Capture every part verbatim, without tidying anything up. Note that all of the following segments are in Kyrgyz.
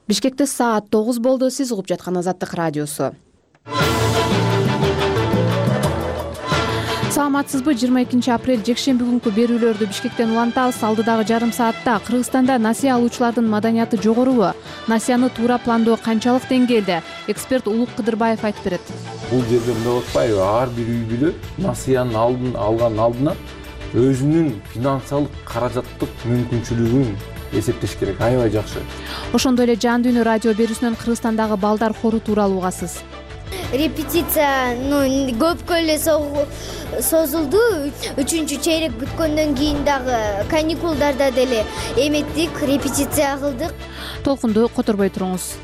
Бишкекте саат тогуз болду. Сиз угуп жаткан Азаттык радиосу. Саламатсызбы? жыйырма экинчи апрель жекшемби күнкү берүүлөрдү Бишкектен улантабыз. Алдыдагы жарым саатта Кыргызстанда насыя алуучулардын маданияты жогорубу? Насыяны туура пландоо канчалык деңгээлде? Эксперт Улук Кыдырбаев айтып берет. Бул жерде мындай атпайбы? Ар бир үй бүлө насыянын алдын алган алдынан өзүнүн финансылык каражаттык мүмкүнчүлүгүн эсептеш керек. Аябай жакшы. Ошондой эле Жан дүйнө радио берүүсүнөн Кыргызстандагы балдар хору тууралуу угасыз. Репетиция көпкө эле созулду. Үчүнчү чейрек бүткөндөн кийин дагы каникулдарда деле эметтик, репетиция кылдык. Толкунду которбой туруңуз.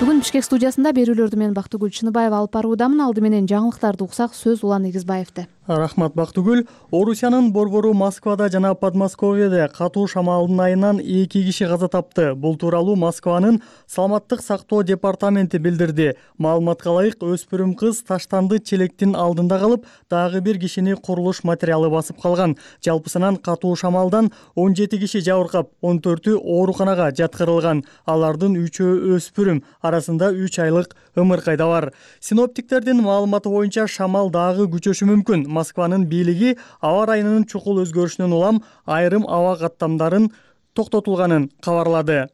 Бүгүн Бишкек студиясында берүүлөрдү мен Бактыгүл Чыныбаева алып баруудамын. Алды менен жаңылыктарды уксак, сөз Улан Эгизбаевде. Рахмат Бактыгүл. Орусиянын борбору Москвада жана Подмосковьеде катуу шамалдын айынан эки киши каза тапты. Бул тууралуу Москванын саламаттык сактоо департаменти билдирди. Маалыматка ылайык, өспүрүм кыз таштанды челектин алдында калып, дагы бир кишини курулуш материалы басып калган. Жалпысынан катуу шамалдан он жети киши жабыркап, он төртү ооруканага жаткырылган. Алардын үчөө өспүрүм, арасында үч айлык ымыркай да бар. Синоптиктердин маалыматы боюнча шамал дагы күчөшү мүмкүн. Москванын бийлиги аба ырайынын чукул өзгөрүшүнөн улам айрым аба каттамдарын токтотулганын кабарлады.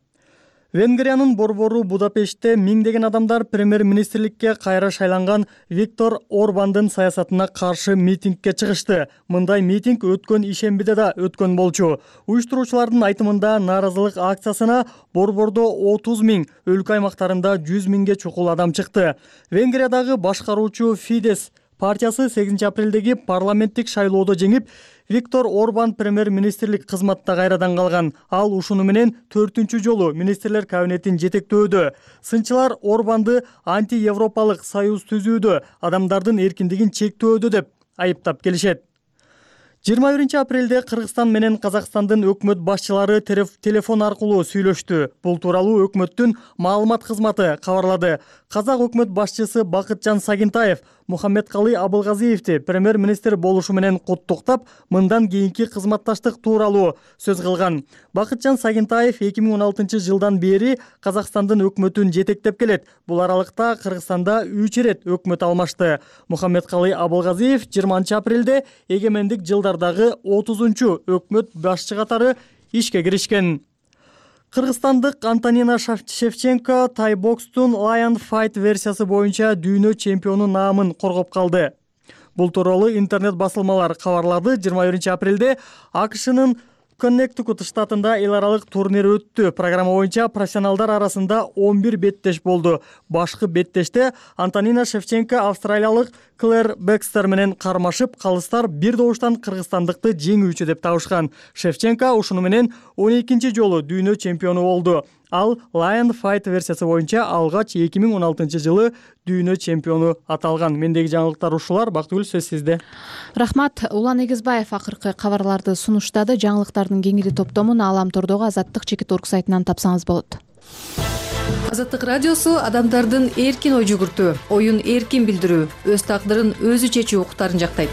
Венгриянын борбору Будапештте миңдеген адамдар премьер-министрликке кайра шайланган Виктор Орбандын саясатына каршы митингге чыгышты. Мындай митинг өткөн ишембиде да өткөн болчу. Уюштуруучулардын айтымында нааразылык акциясына борбордо отуз миң, өлкө аймактарында жүз миңге чукул адам чыкты. Венгриядагы башкаруучу Фидес партиясы сегизинчи апрелдеги парламенттик шайлоодо жеңип, Виктор Орбан премьер-министрлик кызматта кайрадан калган. Ал ушуну менен төртүнчү жолу министрлер кабинетин жетектөөдө. Сынчылар Орбанды анти-европалык союз түзүүдө, адамдардын эркиндигин чектөөдө деп айыптап келишет. жыйырма биринчи апрелде Кыргызстан менен Казакстандын өкмөт башчылары телефон аркылуу сүйлөштү. Бул тууралуу өкмөттүн маалымат кызматы кабарлады. Казак өкмөт башчысы Бакытжан Сагинтаев Мухаммедкалый Абылгазиевди премьер-министр болушу менен куттуктап, мындан кийинки кызматташтык тууралуу сөз кылган. Бакытжан Сагинтаев эки миң он алтынчы жылдан бери Казакстандын өкмөтүн жетектеп келет. Бул аралыкта Кыргызстанда үч ирет өкмөт алмашты. Мухаммедкалый Абылгазиев жыйырманчы апрелде эгемендик жылдардагы отузунчу өкмөт башчы катары ишке киришкен. Кыргызстандык Антонина Шевченко тайбокстун Lion Fight версиясы боюнча дүйнө чемпиону наамын коргоп калды. Бул тууралуу интернет басылмалар кабарлады. жыйырма биринчи апрелде АКШнын Коннектикут штатында эл аралык турнир өттү. Программа боюнча профессионалдар арасында он бир беттеш болду. Башкы беттеште Антонина Шевченко австралиялык Клэр Бекстер менен кармашып, калыстар бир добуштан кыргызстандыкты жеңүүчү деп табышкан. Шевченко ушуну менен он экинчи жолу дүйнө чемпиону болду. Ал Lion Fight версиясы боюнча алгач эки миң он алтынчы жылы дүйнө чемпиону аталган. Мендеги жаңылыктар ушулар. Бактыгүл, сөз сизде. Рахмат. Улан Эгизбаев акыркы кабарларды сунуштады. Жаңылыктардын кеңири топтомун Аламтордогу Азаттык чекит точка орг сайтынан тапсаңыз болот. Азаттык радиосу адамдардын эркин ой жүгүртүү, оюн эркин билдирүү, өз тагдырын өзү чечүү укуктарын жактайт.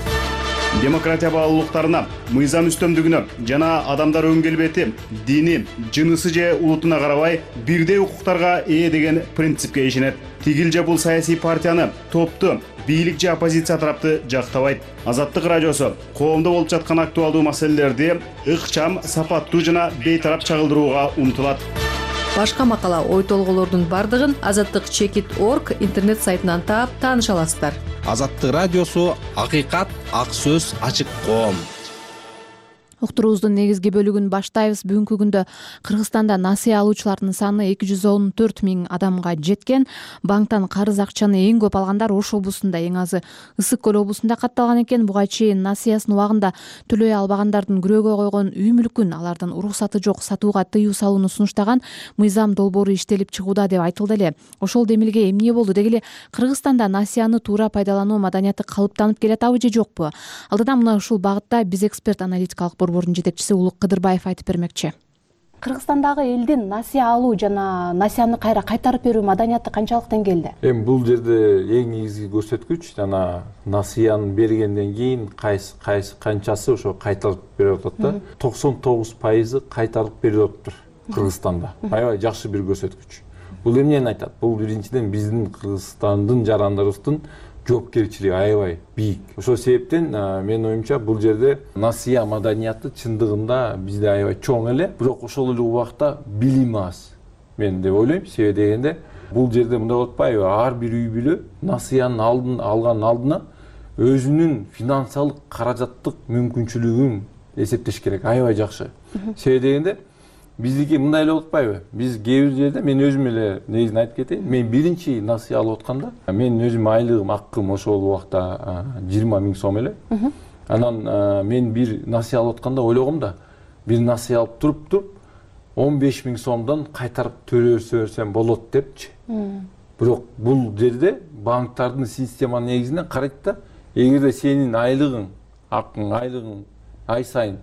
Демократия баалуулуктарына, мыйзам үстөмдүгүнө жана адамдар өн келбети, дини, жынысы же улутуна карабай бирдей укуктарга ээ деген принципке ишенет. Тигил же бул саясий партияны, топту, бийлик же оппозиция тарапты жактабайт. Азаттык радиосу коомдо болуп жаткан актуалдуу маселелерди ыкчам, сапаттуу жана бейтарап чагылдырууга умтулат. Башка макала, ой толголордун бардыгын азаттык чекит точка орг интернет сайтынан таап тааныша аласыздар. Азаттык радиосу акыйкат, ак сөз, ачык коом. Уктуруубуздун негизги бөлүгүн баштайбыз. Бүгүнкү күндө Кыргызстанда насыя алуучулардын саны эки жүз он төрт миң адамга жеткен. Банктан карыз акчаны эң көп алгандар Ош облусунда, эң азы Ысык көл облусунда катталган экен. Буга чейин насыясын убагында төлөй албагандардын күрөөгө койгон үй мүлкүн алардын уруксаты жок сатууга тыюу салууну сунуштаган мыйзам долбоору иштелип чыгууда деп айтылды эле. Ошол демилге эмне болду деги эле Кыргызстанда насыяны туура пайдалануу маданияты калыптанып келатабы же жокпу? Алдыда мына ушул багытта биз эксперт аналитикалык борбордун жетекчиси Улук Кыдырбаев айтып бермекчи. Кыргызстандагы элдин насыя алуу жана насыяны кайра кайтарып берүү маданияты канчалык деңгээлде? Эми бул жерде эң негизги көрсөткүч жана насыяны бергенден кийин кайсы кайсы канчасы ошо кайтарып берип атат да. токсон тогуз пайызы кайтарып берип атыптыр. Кыргызстанда. Аябай жакшы бир көрсөткүч. Бул эмнени айтат? Бул биринчиден биздин Кыргызстандын жарандарыбыздын жоопкерчилиги аябай бийик. Ошол себептен менин оюмча бул жерде насыя маданияты чындыгында бизде аябай чоң эле, бирок ошол эле убакта билим аз. Мен деп ойлойм. Себеби дегенде бул жерде мындай болуп атпайбы? Ар бир үй бүлө насыянын алдын алган алдына өзүнүн финансалык каражаттык мүмкүнчүлүгүн эсептеш керек. Аябай жакшы. Себеби дегенде биздики мындай эле болуп атпайбы? Биз кээ бир жерде мен өзүм эле негизин айтып кетейин. Мен биринчи насыя алып атканда, мен өзүм айлыгым, аккым ошол убакта жыйырма миң сом эле. Анан мен бир насыя алып атканда ойлогом да, бир насыя алып туруп туруп он беш миң сомдон кайтарып төлөсө берсем болот депчи. Бирок бул жерде банктардын система негизинен карайт да, эгерде сенин айлыгың, аккың, айлыгың ай сайын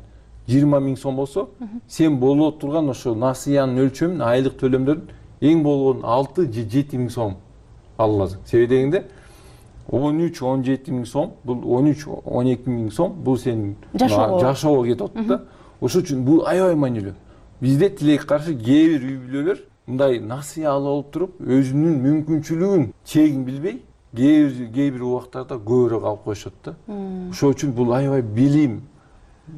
жыйырма миң сом болсо, сен боло турган ошо насыянын өлчөмүн, айлык төлөмдөрүн эң болгону алты же жети миң сом ала аласың. Себеби дегенде он үч он жети миң сом, бул он үч он эки миң сом бул сенин жашоого кетип атат да. Ошол үчүн бул аябай маанилүү. Бизде тилекке каршы кээ бир үй бүлөлөр мындай насыя алып алып туруп, өзүнүн мүмкүнчүлүгүн чегин билбей, кээ бир убактарда көбүрөөк алып коюшат да. Ошол үчүн бул аябай билим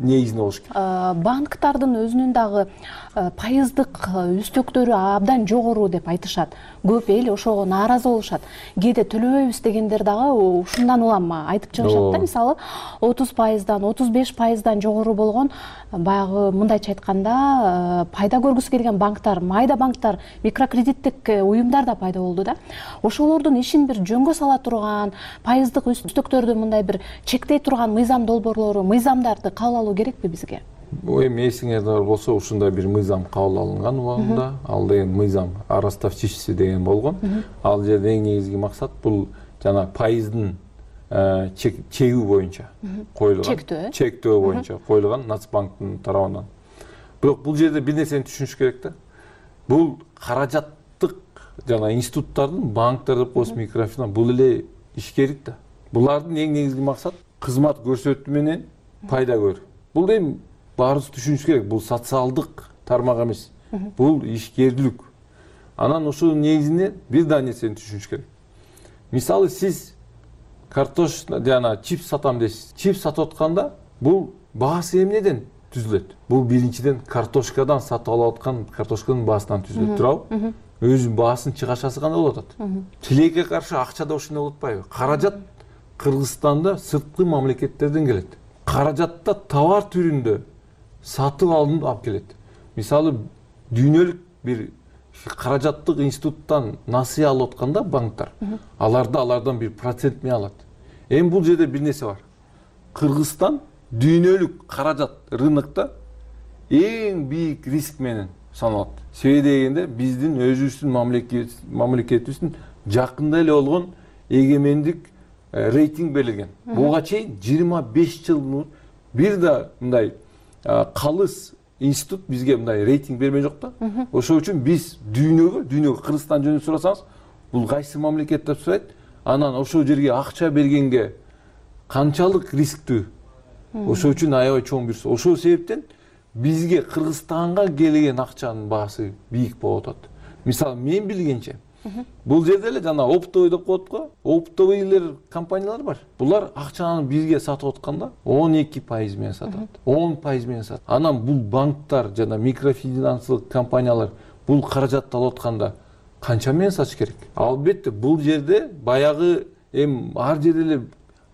негизинде болуш керек. Банктардын өзүнүн дагы пайыздык үстөктөрү абдан жогору деп айтышат. Көп эл ошого нааразы болушат. Кээде төлөбөйбүз дегендер дагы ушундан улам айтып чыгышат да. Мисалы отуз пайыздан отуз беш пайыздан жогору болгон баягы мындайча айтканда пайда көргүсү келген банктар, майда банктар, микрокредиттик уюмдар да пайда болду да. Ошолордун ишин бир жөнгө сала турган, пайыздык үстөктөрдү мындай бир чектей турган мыйзам долбоорлору, мыйзамдарды кабыл алуу керекпи бизге? Эми эсиңерде болсо, ушундай бир мыйзам кабыл алынган убагында. Ал деген мыйзам ростовчишься деген болгон. Ал жерде эң негизги максат бул жана пайыздын чегүү боюнча коюлган. Чектөө. Чектөө боюнча коюлган Нацбанктын тарабынан. Бирок бул жерде бир нерсени түшүнүш керек да. Бул каражаттык жана институттардын, банктар деп коебуз, микрофинанс, бул эле ишкерлик да. Булардын эң негизги максат кызмат көрсөтүү менен пайда көрүү. Бул эми баарыбыз түшүнүш керек. Бул социалдык тармак эмес. Бул ишкерлик. Анан ошонун негизинде бир да нерсени түшүнүш керек. Мисалы сиз картош жана чипс сатам дейсиз. Чипс сатып атканда бул баасы эмнеден түзүлөт? Бул биринчиден картошкадан сатып алып аткан картошканын баасынан түзүлөт, туурабы? Өзүнүн баасын чыгашасы кандай болуп атат? Тилекке каршы акча да ошондой болуп атпайбы? Каражат Кыргызстанда сырткы мамлекеттерден келет. Каражатта товар түрүндө сатып алынып алып келет. Мисалы дүйнөлүк бир каражаттык институттан насыя алып атканда банктар, аларда алардан бир процент менен алат. Эми бул жерде бир нерсе бар. Кыргызстан дүйнөлүк каражат рынокто эң бийик риск менен саналат. Себеби дегенде биздин өзүбүздүн мамлекетибиздин жакында эле болгон эгемендик рейтинг берилген. Буга чейин жыйырма беш жыл бир да мындай калыс институт бизге мындай рейтинг берген жок да. Ошол үчүн биз дүйнөгө, дүйнөгө Кыргызстан жөнүндө сурасаңыз, бул кайсы мамлекет деп сурайт. Анан ошол жерге акча бергенге канчалык рисктүү. Ошол үчүн аябай чоң бир. Ошол себептен бизге Кыргызстанга келген акчанын баасы бийик болуп атат. Мисалы мен билгенче бул жерде эле жана оптовый деп коет го. Оптовыйлар компаниялар бар. Булар акчаны бизге сатып атканда он эки пайыз менен сатат. он пайыз менен сатат. Анан бул банктар жана микрофинансылык компаниялар бул каражатты алып атканда канча менен сатыш керек? Албетте бул жерде баягы эми ар жерде эле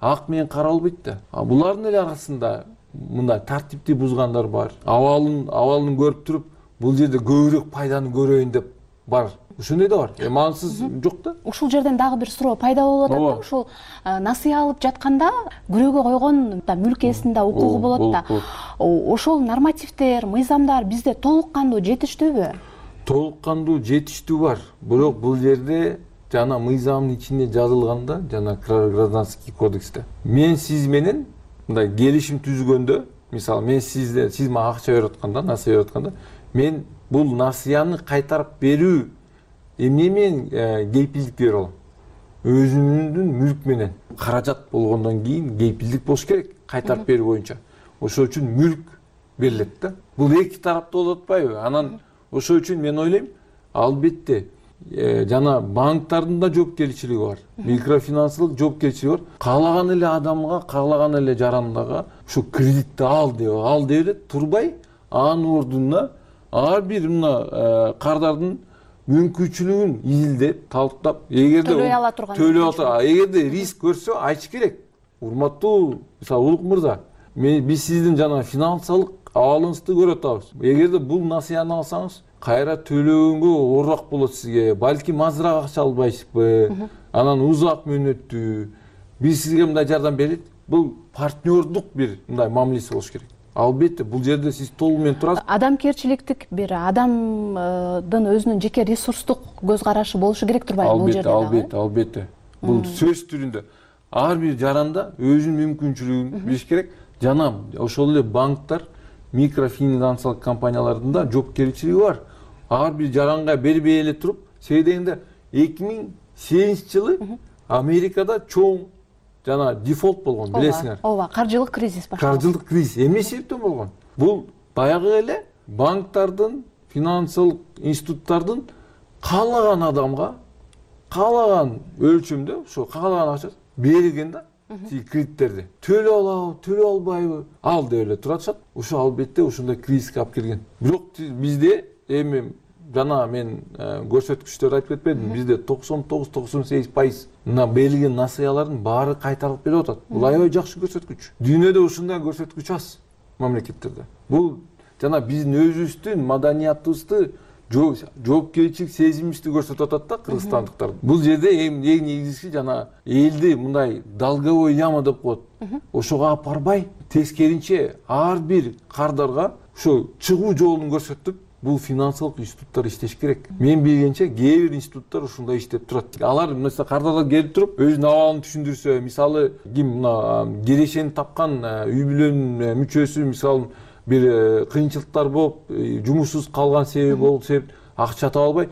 ак менен кара болбойт да. А булардын эле арасында мындай тартипти бузгандар бар. Абалын абалын көрүп туруп бул жерде көбүрөөк пайданы көрөйүн деп бар. Ошондой да бар. Эми ансыз жок да. Ушул жерден дагы бир суроо пайда болуп атат да. Ушул насыя алып жатканда күрөөгө койгон мүлк ээсинин укугу болот да. Ошол нормативдер, мыйзамдар бизде толук кандуу жетиштүүбү? Толук кандуу жетиштүү бар. Бирок бул жерде жана мыйзамдын ичинде жазылганда, жана гражданский кодексте мен сиз менен мындай келишим түзгөндө, мисалы мен сизде сиз мага акча берип атканда, насыя берип атканда, мен бул насыяны кайтарып берүү эмне менен кепилдик берип алам? Өзүмдүн мүлк менен. Каражат болгондон кийин кепилдик болуш керек кайтарып берүү боюнча. Ошол үчүн мүлк берилет да. Бул эки тараптуу болуп атпайбы? Анан ошол үчүн мен ойлойм албетте жана банктардын да жоопкерчилиги бар, микрофинансылык жоопкерчилиги бар. Каалаган эле адамга, каалаган эле жарандага ушу кредитти ал деп ал деп эле турбай, анын ордуна ар бир мына кардардын мүмкүнчүлүгүн изилдеп, талктап, эгерде төлөй ала турган төлөй ала, эгерде риск көрсө айтыш керек. Урматтуу мисалы Улук мырза, биз сиздин жана финансылык абалыңызды көрүп атабыз. Эгерде бул насыяны алсаңыз, кайра төлөгөнгө оорураак болот сизге. Балким азыраак акча албайсызбы? Анан узак мөөнөттүү. Биз сизге мындай жардам берет. Бул партнердук бир мындай мамилеси болуш керек. Албетте бул жерде сиз толук менен турасыз. Адамгерчиликтик бир адамдын өзүнүн жеке ресурстук көз карашы болушу керек турбайбы бул жерде? Албетте, албетте, албетте. Бул сөз түрүндө ар бир жаранда өзүнүн мүмкүнчүлүгүн билиш керек. Жана ошол эле банктар, микрофинансылык компаниялардын да жоопкерчилиги бар. Ар бир жаранга бербей эле туруп, себеби дегенде эки миң сегизинчи жылы Америкада чоң жана дефолт болгон, билесиңер. Ооба, каржылык кризис башталды. Каржылык кризис эмне себептен болгон? Бул баягы эле банктардын, финансылык институттардын каалаган адамга, каалаган өлчөмдө, ошо каалаган акча берилген да. Кредиттерди төлөй алабы, төлөй албайбы, ал деп эле турушат. Ошо албетте ошондой кризиске алып келген. Бирок бизде эми жана мен көрсөткүчтөрдү айтып кетпедимби? Бизде токсон тогуз токсон сегиз пайыз мына берилген насыялардын баары кайтарылып келип атат. Бул аябай жакшы көрсөткүч. Дүйнөдө ушундай көрсөткүч аз мамлекеттерде. Бул жана биздин өзүбүздүн маданиятыбызды, жоопкерчилик сезимибизди көрсөтүп атат да кыргызстандыктар. Бул жерде эң негизгиси жана элди мындай долговой яма деп коет. Ошого алып барбай, тескеринче ар бир кардарга ошо чыгуу жолун көрсөтүп, бул финансылык институттар иштеш керек. Мен билгенче кээ бир институттар ушундай иштеп турат. Алар мисалы кардарлар келип туруп, өзүнүн абалын түшүндүрсө, мисалы ким мына кирешени тапкан үй бүлөнүн мүчөсү, мисалы бир кыйынчылыктар болуп, жумушсуз калган себеби болуп, себеп акча таба албай,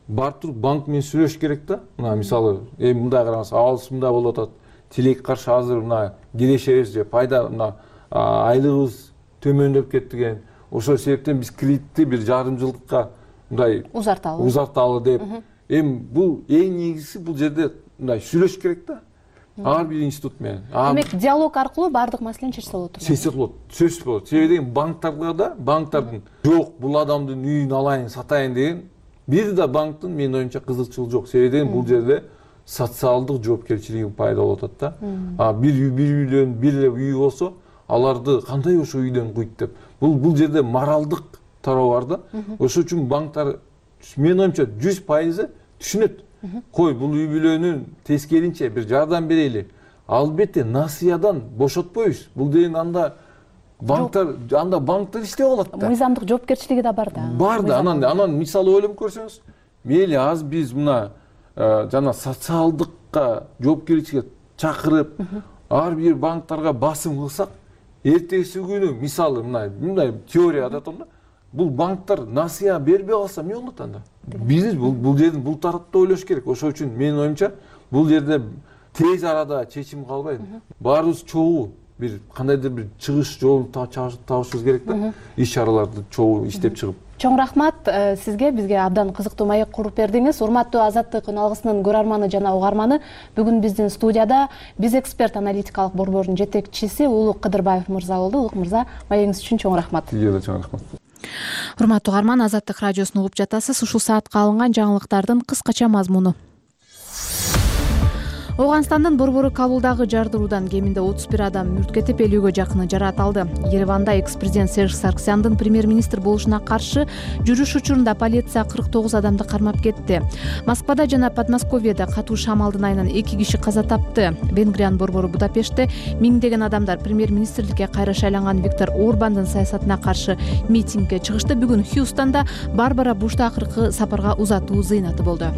барып туруп банк менен сүйлөшүш керек да. Мына мисалы эми мындай караңыз, абалыбыз мындай болуп атат. Тилекке каршы азыр мына кирешебиз же пайда мына айлыгыбыз төмөндөп кетти деген. Ошол себептен биз кредитти бир жарым жылдыкка мындай узарталы. Узарталы деп. Эми бул эң негизгиси бул жерде мындай сүйлөшүш керек да. Ар бир институт менен. Демек, диалог аркылуу баардык маселени чечсе болот. Чечсе болот. Сөзсүз болот. Себеби деген банктарга да, банктардын жок, бул адамдын үйүн алайын, сатайын деген бир да банктын менин оюмча кызыкчылыгы жок. Себеби деген бул жерде социалдык жоопкерчилиги пайда болуп атат да. А бир үй, бир үйлөн, бир эле үй болсо, аларды кандай ошо үйдөн куйт деп. Бул бул жерде моралдык тарабы бар да. Ошол үчүн банктар менин оюмча жүз пайыз түшүнөт. Кой, бул үй бүлөнүн тескеринче бир жардам берели. Албетте насыядан бошотпойбуз. Бул деген анда банктар анда банктар иштеп алат да. Мыйзамдык жоопкерчилиги да бар да. Бар да. Анан анан мисалы ойлонуп көрсөңүз, мейли аз биз мына жана социалдыкка жоопкерчиликке чакырып, ар бир банктарга басым кылсак, эртеси күнү мисалы мына мындай теория да атам да. Бул банктар насыя бербей калса эмне болот анда? Биз бул бул жердин бул тарапта ойлош керек. Ошол үчүн менин оюмча бул жерде тез арада чечим калбайт. Баарыбыз чогуу бир кандайдыр бир чыгыш жолун табышыбыз керек да. Иш чараларды чогуу иштеп чыгып. Чоң рахмат сизге, бизге абдан кызыктуу маек куруп бердиңиз. Урматтуу Азаттык үн алгысынын көрөрманы жана угарманы, бүгүн биздин студияда биз эксперт аналитикалык борборунун жетекчиси Улук Кыдырбаев мырза болду. Улук мырза, маегиңиз үчүн чоң рахмат. Сизге да чоң рахмат. Урматтуу угарман, Азаттык радиосун угуп жатасыз. Ушул саатка алынган жаңылыктардын кыскача мазмуну. Ооганстандын Борбору Кабулдагы жардыруудан кеминде отуз бир адам мүрт кетип, элүүгө жакыны жараталды. Ереванда экс-президент Серж Сарксяндын премьер-министр болушуна каршы жүрүш учурунда полиция кырк тогуз адамды кармап кетти. Москвада жана Подмосковьеда катуу шамалдын айынан эки киши каза тапты. Венгриянын борбору Будапештте миңдеген адамдар премьер-министрликке кайра шайланган Виктор Орбандын саясатына каршы митингге чыгышты. Бүгүн Хьюстонда Барбара Бушту акыркы сапарга узатуу зыйнаты болду.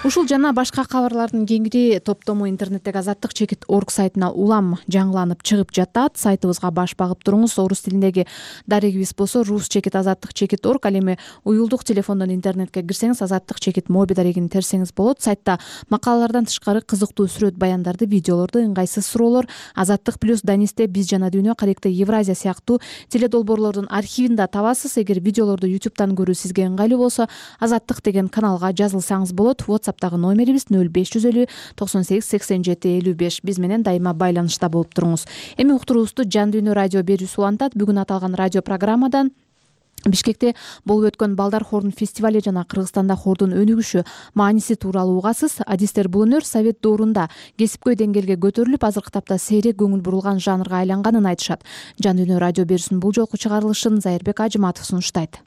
Ушул жана башка кабарлардын кеңири топтому интернеттеги азаттык чекит орг сайтына улам жаңыланып чыгып жатат. Сайтыбызга баш багып туруңуз. Орус тилиндеги дарегибиз болсо рус чекит азаттык чекит орг. Ал эми уюлдук телефондон интернетке кирсеңиз азаттык чекит моби дарегин терсеңиз болот. Сайтта макалалардан тышкары кызыктуу сүрөт баяндарды, видеолорду, ыңгайсыз суроолор, азаттык плюс, Данисте, Биз жана Дүйнө, Каректе Евразия сыяктуу теледолбоорлордун архивин да табасыз. Эгер видеолорду ютубтан көрүү сизге ыңгайлуу болсо, азаттык деген каналга жазылсаңыз болот. WhatsApp'тагы номерибиз нөл беш жүз элүү токсон сегиз сексен жети элүү беш. Биз менен дайыма байланышта болуп туруңуз. Эми уктуруубузду Жан Дүйнө радио берүүсү улантат. Бүгүн аталган радио программадан Бишкекте болуп өткөн Балдар хордун фестивали жана Кыргызстанда хордун өнүгүшү мааниси тууралуу угасыз. Адистер бул өнөр совет доорунда кесипкөй деңгээлге көтөрүлүп, азыркы тапта сейрек көңүл бурулган жанрга айланганын айтышат. Жан Дүйнө радио берүүсүнүн бул жолку чыгарылышын Зайырбек Ажыматов сунуштайт.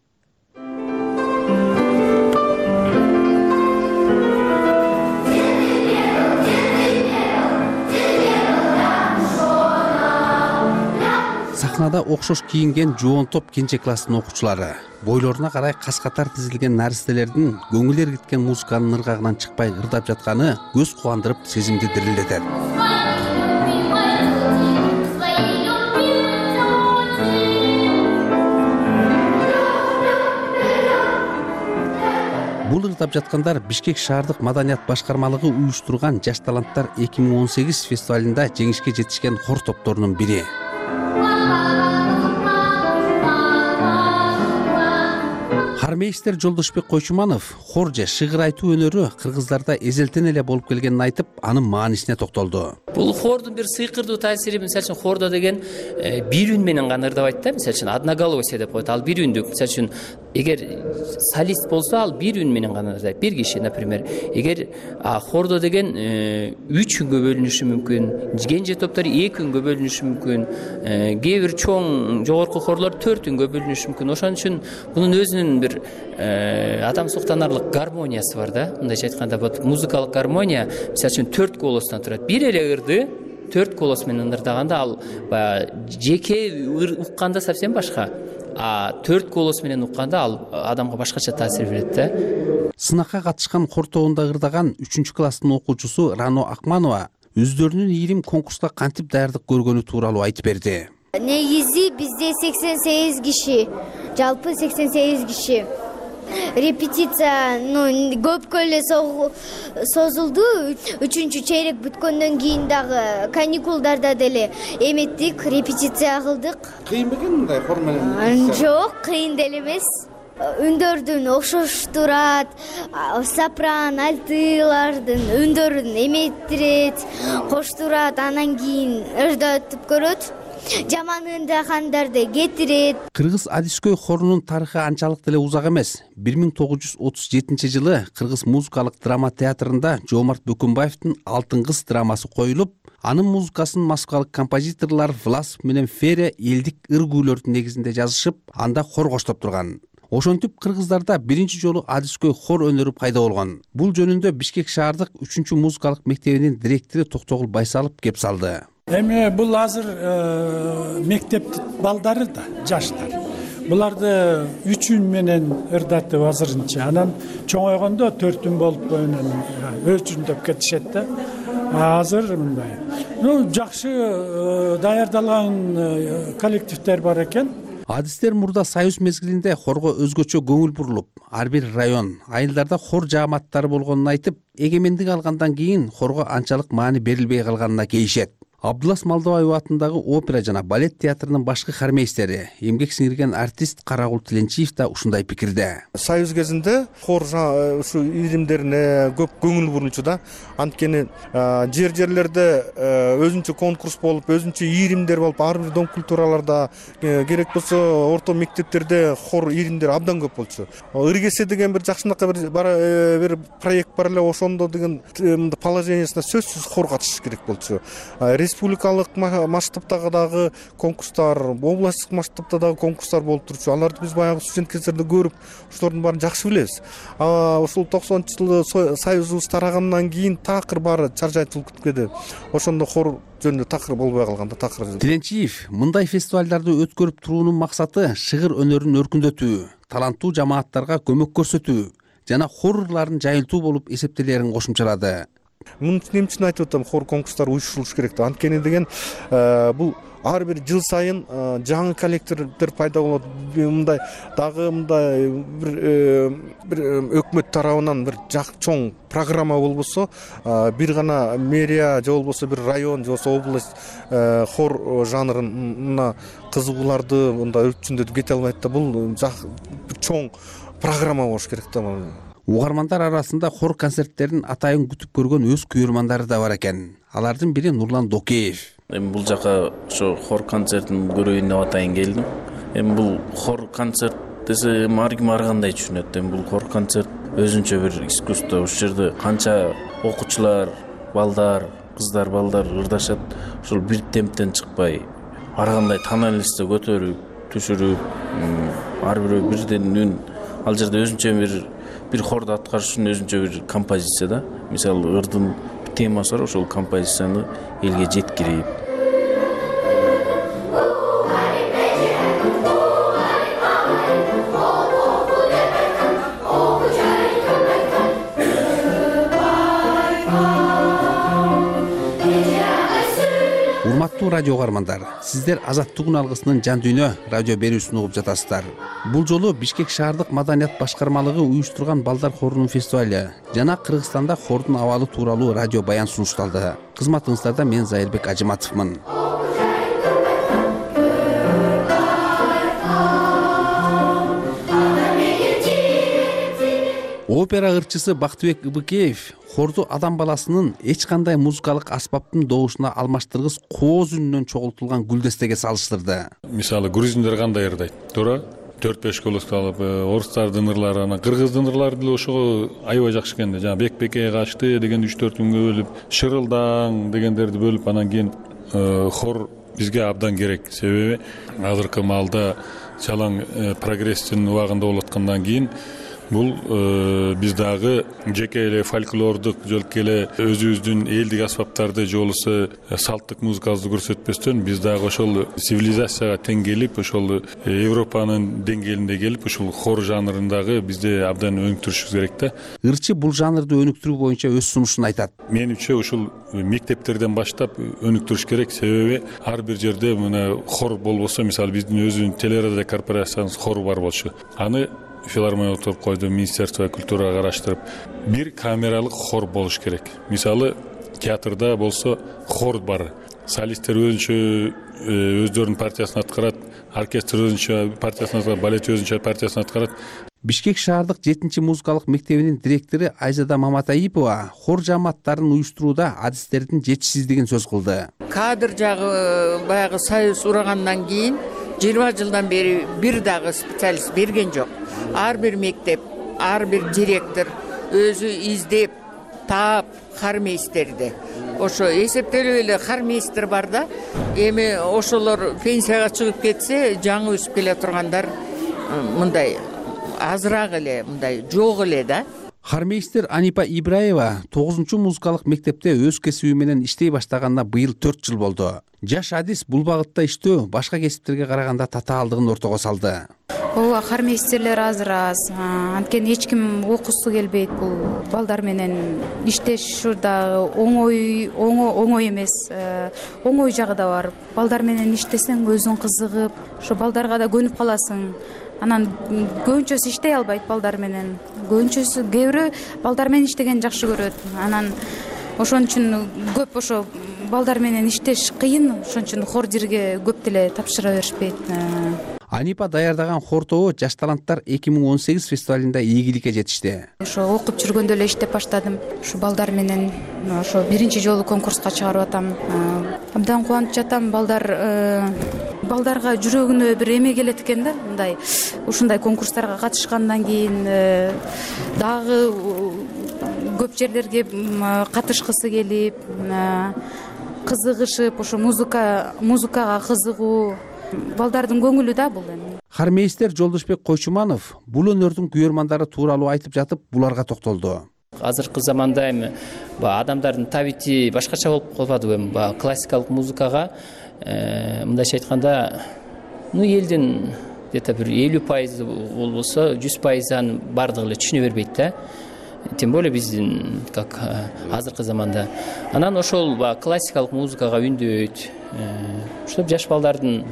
Сахнада окшош кийинген жоон топ кенже класстын окуучулары бойлоруна карай кас катар тизилген наристелердин көңүл эргиткен музыканын ыргагынан чыкпай ырдап жатканы көз кубандырып, сезимди дирилдетет. Бул ырдап жаткандар Бишкек шаардык маданият башкармалыгы уюштурган Жаш таланттар эки миң он сегиз фестивалында жеңишке жетишкен хор топторунун бири. Хармейстер Жолдошбек Койчуманов хор же шыгыр айтуу өнөрү кыргыздарда эзелтен эле болуп келгенин айтып, анын маанисине токтолду. Бул хордун бир сыйкырдуу таасири, мисалы үчүн хордо деген бир үн менен гана ырдабайт да, мисалы үчүн одноголосие деп коет. Ал бир үндүк. Мисалы үчүн эгер солист болсо, ал бир үн менен гана ырдайт. Бир киши, например. Эгер хордо деген үч үнгө бөлүнүшү мүмкүн, кенже топтор эки үнгө бөлүнүшү мүмкүн, кээ бир чоң жогорку хорлор төрт үнгө бөлүнүшү мүмкүн. Ошон үчүн бунун өзүнүн бир адам суктанарлык гармониясы бар да. Мындайча айтканда, вот музыкалык гармония, мисалы үчүн төрт голостон турат. Бир эле ырды төрт голос менен ырдаганда, ал жеке укканда совсем башка. А төрт голос менен укканда ал адамга башкача таасир берет да. Сынакка катышкан хор тобунда ырдаган үчүнчү класстын окуучусу Рано Акманова өздөрүнүн ийрим конкурска кантип даярдык көргөнү тууралуу айтып берди. Негизи бизде сексен сегиз киши, жалпы сексен сегиз киши. Репетиция, ну, көпкө эле созулду. Үчүнчү чейрек бүткөндөн кийин дагы каникулдарда деле эметтик, репетиция кылдык. Кыйын бекен мындай хор менен? Жок, кыйын деле эмес. Үндөрдүн окшош турат, сопран, альтылардын үндөрүн эметтирет, кош турат, анан кийин ырдатып көрөт. Жаман ырдагандарды кетирет. Кыргыз Адискөй хорунун тарыхы анчалык деле узак эмес. бир миң тогуз жүз отуз жетинчи жылы Кыргыз музыкалык драма театрында Жоомарт Бөкөнбаевдин Алтын кыз драмасы коюлуп, анын музыкасын москвалык композиторлор Власов менен Феря элдик ыр күүлөрдүн негизинде жазышып, анда хор коштоп турган. Ошентип кыргыздарда биринчи жолу Адискөй хор өнөрү пайда болгон. Бул жөнүндө Бишкек шаардык үчүнчү музыкалык мектебинин директору Токтогул Байсалов кеп салды. Эми бул азыр мектептин балдары да, жаштар. Буларды үч үн менен ырдатып азырынча, анан чоңойгондо төрт үн болуп анан өзүндөп кетишет да. Азыр мындай. Ну, жакшы даярдалган коллективдер бар экен. Адистер мурда союз мезгилинде хорго өзгөчө көңүл бурулуп, ар бир район, айылдарда хор жааматтары болгонун айтып, эгемендик алгандан кийин хорго анчалык маани берилбей калганына кейишет. Абдулас Малдыбаев атындагы опера жана балет театрынын башкы хармейстери, эмгек сиңирген артист Карагул Тиленчиев да ушундай пикирде. Союз кезинде хор ушу иримдерине көп көңүл бурулчу да. Анткени жер-жерлерде өзүнчө конкурс болуп, өзүнчө иримдер болуп, ар бир дом культураларда, керек болсо орто мектептерде хор иримдер абдан көп болчу. Ыргесе деген бир жакшынакай бир бир проект бар эле, ошондо деген положениясына сөзсүз хор катышыш керек болчу. Республикалык масштабтагы дагы конкурстар, областтык масштабта дагы конкурстар болуп турчу. Аларды биз баягы студент кездерде көрүп, ошолордун баарын жакшы билебиз. А ушул токсонунчу жылы союзубуз тарагандан кийин такыр баары чаржайтылып кеткенде, ошондо хор жөнүндө такыр болбой калганда такыр. Тиленчиев мындай фестивалдарды өткөрүп туруунун максаты шыгыр өнөрүн өркүндөтүү, таланттуу жамааттарга көмөк көрсөтүү жана хорлордун жайылтуу болуп эсептелерин кошумчалады. Муну эмне үчүн айтып атам, хор конкурстары уюштурулуш керек деп. Анткени деген бул ар бир жыл сайын жаңы коллектордор пайда болот. Мындай дагы мындай бир бир өкмөт тарабынан бир чоң программа болбосо, бир гана мэрия же болбосо бир район же болбосо область хор жанрына кызыгууларды мындай өрчүндөтүп кете албайт да. Бул чоң программа болуш керек да. Угармандар арасында хор концерттерин атайын күтүп көргөн өз күйөрмандары да бар экен. Алардын бири Нурлан Докеев. Эми бул жака ошо хор концертин көрөйүн деп атайын келдим. Эми бул хор концерт десе ар ким ар кандай түшүнөт. Эми бул хор концерт өзүнчө бир искусство. Ушул жерде канча окуучулар, балдар, кыздар, балдар ырдашат. Ошол бир темптен чыкпай, ар кандай тональностьте көтөрүп, түшүрүп, ар бирөө бирден үн. Ал жерде өзүнчө бир бир хорду аткарыш үчүн өзүнчө бир композиция да. Мисалы ырдын темасы бар, ошол композицияны элге жеткирип. Урматтуу радио угармандар, сиздер Азаттык алгысынын жан дүйнө радио берүүсүн угуп жатасыздар. Бул жолу Бишкек шаардык маданият башкармалыгы уюштурган балдар хорунун фестивали жана Кыргызстанда хордун абалы тууралуу радио баян сунушталды. Кызматыңыздарда мен Зайырбек Ажыматовмун. Опера ырчысы Бактыбек Ыбыкеев хорду адам баласынын эч кандай музыкалык аспаптын добушуна алмаштыргыс кооз үнүнөн чогултулган гүлдестеге салыштырды. Мисалы грузиндер кандай ырдайт? Туура төрт беш колос алып, орустардын ырлары, анан кыргыздын ырлары деле ошого аябай жакшы экен да. Жана бек-беке качты деген үч төрт күнгө бөлүп, шырылдаң дегендерди бөлүп, анан кийин хор бизге абдан керек. Себеби азыркы маалда чалаң прогресстин убагында болуп аткандан кийин бул биз дагы жеке эле фольклордук жөлкө эле өзүбүздүн элдик аспаптарды же болбосо салттык музыкабызды көрсөтпөстөн биз дагы ошол цивилизацияга тең келип, ошол Европанын деңгээлинде келип, ушул хор жанрындагы бизде абдан өнүктүрүшүбүз керек да. Ырчы бул жанрды өнүктүрүү боюнча өз сунушун айтат. Менимче ушул мектептерден баштап өнүктүрүш керек. Себеби ар бир жерде мына хор болбосо, мисалы биздин өзүнүн телерадио корпорациябыз хору бар болчу. Аны филармония отуруп койду, Министерство культурага караштырып, бир камералык хор болуш керек. Мисалы театрда болсо хор бар. Солисттер өзүнчө өздөрүнүн партиясын аткарат, оркестр өзүнчө партиясын аткарат, балет өзүнчө партиясын аткарат. Бишкек шаардык жетинчи музыкалык мектебинин директору Айзада Маматайипова хор жааматтарын уюштурууда адистердин жетишсиздигин сөз кылды. Кадр жагы баягы союз урагандан кийин жыйырма жылдан бери бир дагы специалист берген жок. Ар бир мектеп, ар бир директор өзү издеп, таап хармейстерди. Ошо эсептелип эле хармейстер бар да. Эми ошолор пенсияга чыгып кетсе, жаңы өсүп келе тургандар мындай азыраак эле, мындай жок эле да. Хармейстер Анипа Ибраева тогузунчу музыкалык мектепте өз кесиби менен иштей баштаганына быйыл төрт жыл болду. Жаш адис бул багытта иштөө башка кесиптерге караганда татаалдыгын ортого салды. Ооба, хармейстерлер азыр аз. Анткени эч ким окуусу келбейт. Бул балдар менен иштеш да оңой, оңой эмес. Оңой жагы да бар. Балдар менен иштесең өзүң кызыгып, ошо балдарга да көнүп каласың. Анан көбүнчөсү иштей албайт балдар менен. Көбүнчөсү кээ бирөө балдар менен иштегенди жакшы көрөт. Анан ошон үчүн көп ошо балдар менен иштеш кыйын. Ошон үчүн хор жирге көп деле тапшыра беришпейт. Анипа даярдаган хор тобу Жаш таланттар эки миң он сегиз фестивалында ийгиликке жетишти. Ошо окуп жүргөндө эле иштеп баштадым. Ушу балдар менен ошо биринчи жолу конкурска чыгарып атам. Абдан кубанып жатам. Балдар балдарга жүрөгүнө бир эме келет экен да, мындай ушундай конкурстарга катышкандан кийин дагы көп жерлерге катышкысы келип, кызыгышып, ошо музыка музыкага кызыгуу балдардын көңүлү да бул эми. Хармейстер Жолдошбек Койчуманов бул өнөрдүн күйөрмандары тууралуу айтып жатып, буларга токтолду. Азыркы заманда эми адамдардын табити башкача болуп калбадыбы, эми классикалык музыкага мындайча айтканда, ну элдин где то бир элүү пайызы болбосо жүз пайызын баардыгы эле түшүнө бербейт да, тем более биздин как азыркы заманда. Анан ошол баягы классикалык музыкага үндөйт, ошоп жаш балдардын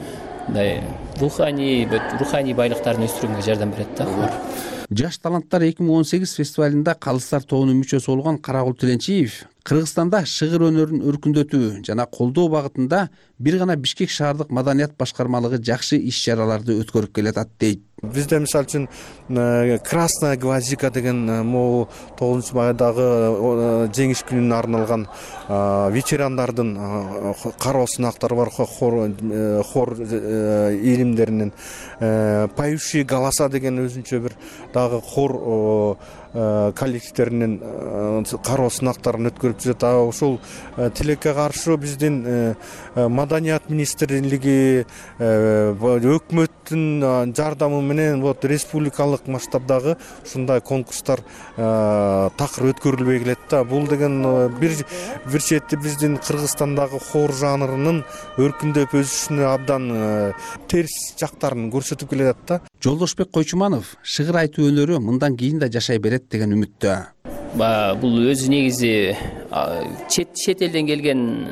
мындай руханий руханий байлыктарын өстүрүүгө жардам берет да хор. Жаш таланттар эки миң он сегиз фестивалында Калыстар тобунун мүчөсү болгон Карагул Тиленчиев Кыргызстанда шыгыр өнөрүн өркүндөтүү жана колдоо багытында бир гана Бишкек шаардык маданият башкармалыгы жакшы иш-чараларды өткөрүп келатат дейт. Бизде мисалы үчүн Красная гвоздика деген могу тогузунчу майдагы жеңиш күнүнө арналган ветерандардын кароо сынактары бар, хор хор ийримдеринин поющие голоса деген өзүнчө бир дагы хор коллективдеринин кароо сынактарын өткөрүп жүрөт. Ошол тилекке каршы биздин маданият министрлиги өкмөттүн жардамы менен вот республикалык масштабдагы ушундай конкурстар такыр өткөрүлбөй келет да. Бул деген бир бир чети биздин Кыргызстандагы хор жанрынын өркүндөп өсүшүнө абдан терс жактарын көрсөтүп келет да. Жолдошбек Койчуманов шыгыр айтуу өнөрү мындан кийин да жашай берет деген үмүттө. Бул өзү негизи чет чет элден келген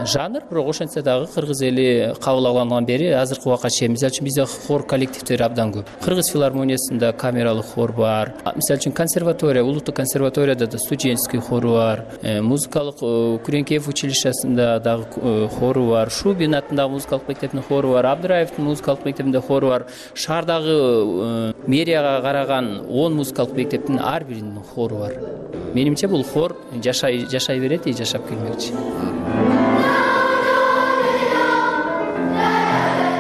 жанр, бирок ошентсе дагы кыргыз эли кабыл алгандан бери азыркы убакка чейин мисалы үчүн бизде хор коллективдери абдан көп. Кыргыз филармониясында камералык хор бар. Мисалы үчүн консерватория, улуттук консерваторияда да студенческий хору бар. Музыкалык Күренкеев училищесинде дагы хору бар. Шубин атындагы музыкалык мектептин хору бар. Абдыраевдин музыкалык мектебинде хору бар. Шаардагы мэрияга караган он музыкалык мектептин ар биринин хору бар. Менимче бул хор жашай жашай берет и жашап келмекчи.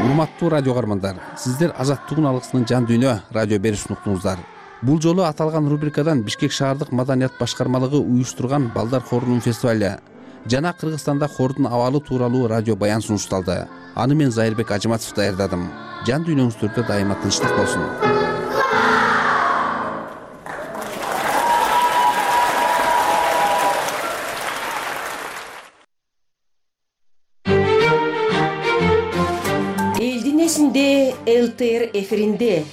Урматтуу радио каармандар, сиздер Азаттыгын алгысынын жан дүйнө радио берүүсүн уктуңуздар. Бул жолу аталган рубрикадан Бишкек шаардык маданият башкармалыгы уюштурган Балдар хорунун фестивале жана Кыргызстанда хордун абалы тууралуу радио баян сунушталды. Аны мен Зайырбек Ажыматов даярдадым. Жан дүйнөңүздөрдө дайыма тынчтык болсун. Эл Т Р эфиринде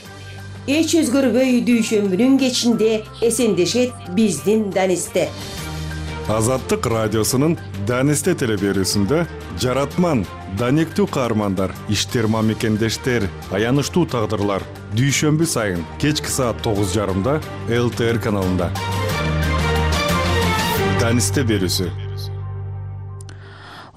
эч өзгөрбөй дүйшөмбүнүн кечинде эсендешет биздин Данисте. Азаттык радиосунун Данисте телеберүүсүндө жаратман, даниктүү каармандар, иштерма мекендештер, аянычтуу тагдырлар дүйшөмбү сайын кечки саат тогуз жарымда Эл Т Р каналында. Данисте берүүсү.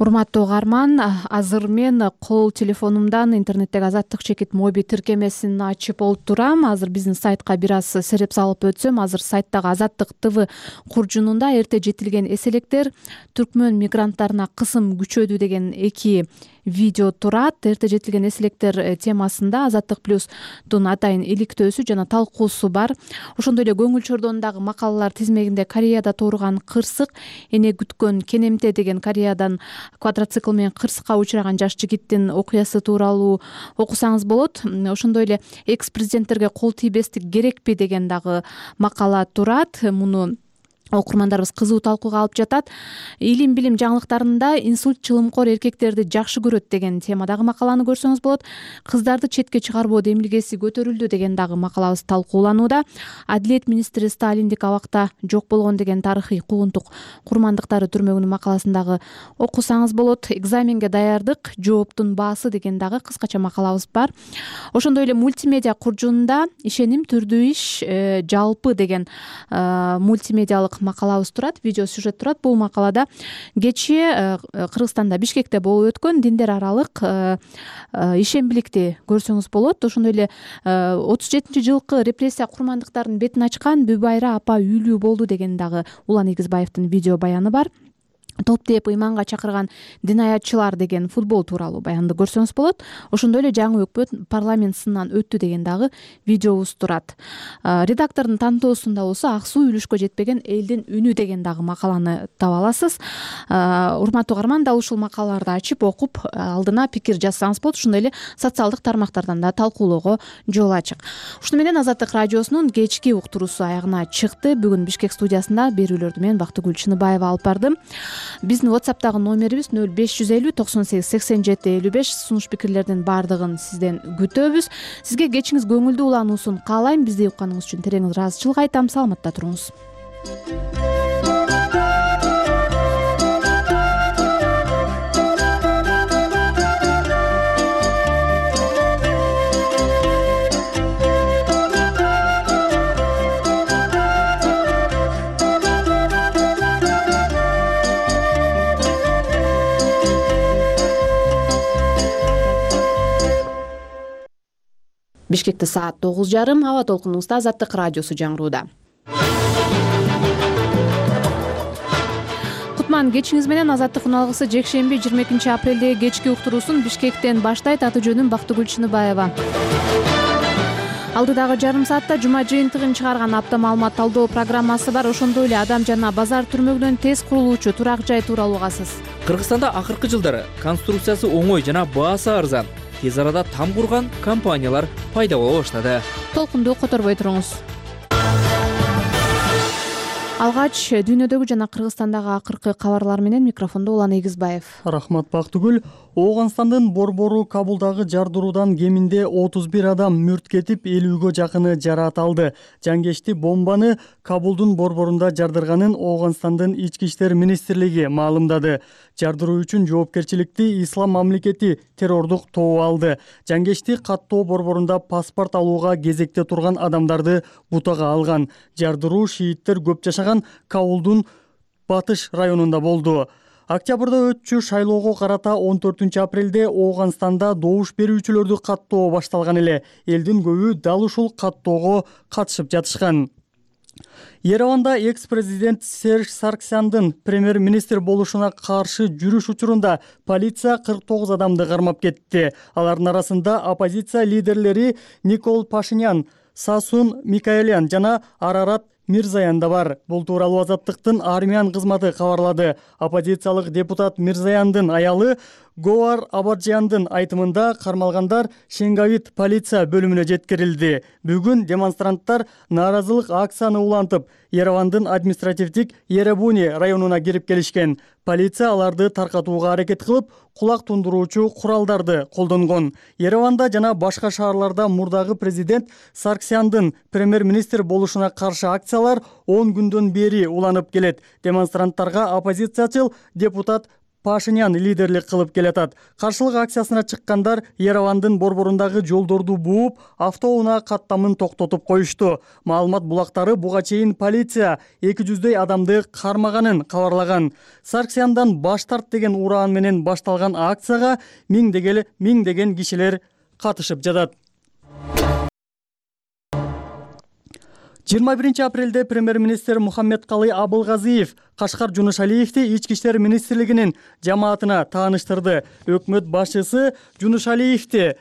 Урматтуу каарман, азыр мен кол телефонумдан интернеттеги Азаттык чекит моби тиркемесин ачып олтурам. Азыр биздин сайтка бир аз сереп салып өтсөм, азыр сайттагы Азаттык ТВ куржунунда эрте жетилген эселектер түркмөн мигранттарына кысым күчөдү деген эки видео турат. Эрте жетилген эселектер темасында Азаттык плюстун атайын иликтөөсү жана талкуусу бар. Ошондой эле көңүл чордондагы макалалар тизмегинде Кореяда тууруган кырсык, эне күткөн кенемте деген Кореядан квадроцикл менен кырсыкка учураган жаш жигиттин окуясы тууралуу окусаңыз болот. Ошондой эле экс президенттерге кол тийбестик керекпи деген дагы макала турат. Муну окурмандарыбыз кызуу талкууга алып жатат. Илим билим жаңылыктарында инсульт чылымкор эркектерди жакшы көрөт деген темадагы макаланы көрсөңүз болот. Кыздарды четке чыгарбоо демилгеси көтөрүлдү деген дагы макалабыз талкууланууда. Адилет министри Сталиндик абакта жок болгон деген тарыхый куугунтук курмандыктары түрмөгүнүн макаласындагы окусаңыз болот. Экзаменге даярдык, жооптун баасы деген дагы кыскача макалабыз бар. Ошондой эле мультимедиа куржунунда ишеним түрдүү иш жалпы деген мультимедиалык макалабыз турат, видео сюжет турат. Бул макалада кечээ Кыргызстанда Бишкекте болуп өткөн диндер аралык ишембиликти көрсөңүз болот. Ошондой эле отуз жетинчи жылкы репрессия курмандыктарынын бетин ачкан Бүбайра апа үйлүү болду деген дагы Улан Игизбаевдин видео баяны бар. Топ деп ыйманга чакырган динаятчылар деген футбол тууралуу баянды көрсөңүз болот. Ошондой эле жаңы өкмөт парламент сынынан өттү деген дагы видеобуз турат. Редактордун тандоосунда болсо ак суу үлүшкө жетпеген элдин үнү деген дагы макаланы таба аласыз. Урматтуу каарман, дал ушул макалаларды ачып окуп алдына пикир жазсаңыз болот. Ошондой эле социалдык тармактардан да талкуулоого жол ачык. Ушуну менен Азаттык радиосунун кечки уктуруусу аягына чыкты. Бүгүн Бишкек студиясында берүүлөрдү мен Бактыгүл Чыныбаева алып бардым. Биздин WhatsApp'тагы номерибиз нөл беш жүз элүү токсон сегиз сексен жети элүү беш. Сунуш пикирлердин баардыгын сизден күтөбүз. Сизге кечиңиз көңүлдүү улануусун каалайм. Бизди укканыңыз үчүн терең ыраазычылык айтам. Саламатта туруңуз. Бишкекте саат тогуз жарым. Аба толкунубузда Азаттык радиосу жаңырууда. Кутман кечиңиз менен. Азаттык уналгысы жекшемби жыйырма экинчи апрелдеги кечки уктуруусун Бишкектен баштайт. Аты жөнүм Бактыгүл Чыныбаева. Алдыдагы жарым саатта жума жыйынтыгын чыгарган апта маалымат талдоо программасы бар. Ошондой эле Адам жана базар түрмөгүнөн тез курулуучу турак жай тууралуу угасыз. Кыргызстанда акыркы жылдары конструкциясы оңой жана баасы арзан, тез арада там курган компаниялар пайда боло баштады. Толкунду которбой туруңуз. Алгач дүйнөдөгү жана Кыргызстандагы акыркы кабарлар менен микрофондо Улан Эгизбаев. Рахмат Бактыгүл. Оогунстандын борбору Кабулдагы жардыруудан кеминде отуз бир адам мүрт кетип, элүүгө жакыны жараат алды. Жангечти бомбаны Кабулдун борборунда жардырганын Оогунстандын ички иштер министрлиги маалымдады. Жардыруу үчүн жоопкерчиликти Ислам мамлекети террордук тобу алды. Жангечти каттоо борборунда паспорт алууга кезекте турган адамдарды бутага алган. Жардыруу шииттер көп жашаган Кабулдун батыш районунда болду. Октябрда өтчү шайлоого карата он төртүнчү апрелде Оогунстанда добуш берүүчүлөрдү каттоо башталган эле. Элдин көбү дал ушул каттоого катышып жатышкан. Ереванда экс-президент Серж Сарксяндын премьер-министр болушуна каршы жүрүш учурунда полиция кырк тогуз адамды кармап кетти. Алардын арасында оппозиция лидерлери Никол Пашинян, Сасун Микаэлян жана Арарат Мирзаян да бар. Бул тууралуу Азаттыктын армиян кызматы кабарлады. Оппозициялык депутат Мирзаяндын аялы Гоар Абаджияндын айтымында кармалгандар Шенгавит полиция бөлүмүнө жеткирилди. Бүгүн демонстранттар нааразылык акцияны улантып, Еревандын административдик Еребуни районуна кирип келишкен. Полиция аларды таркатууга аракет кылып, кулак тундуруучу куралдарды колдонгон. Ереванда жана башка шаарларда мурдагы президент Сарксяндын премьер-министр болушуна каршы акциялар он күндөн бери уланып келет. Демонстранттарга оппозициячыл депутат Пашинян лидерлик кылып келатат. Каршылык акциясына чыккандар Еревандын борборундагы жолдорду бууп, автоунаа каттамын токтотуп коюшту. Маалымат булактары буга чейин полиция эки жүздөй адамды кармаганын кабарлаган. Сарксяндан баш тарт деген ураан менен башталган акцияга миңдеген миңдеген кишилер катышып жатат. жыйырма биринчи апрелде премьер-министр Мухаммедкалый Абылгазиев Кашкар Жунушалиевди ички иштер министрлигинин жамаатына тааныштырды. Өкмөт башчысы Жунушалиевди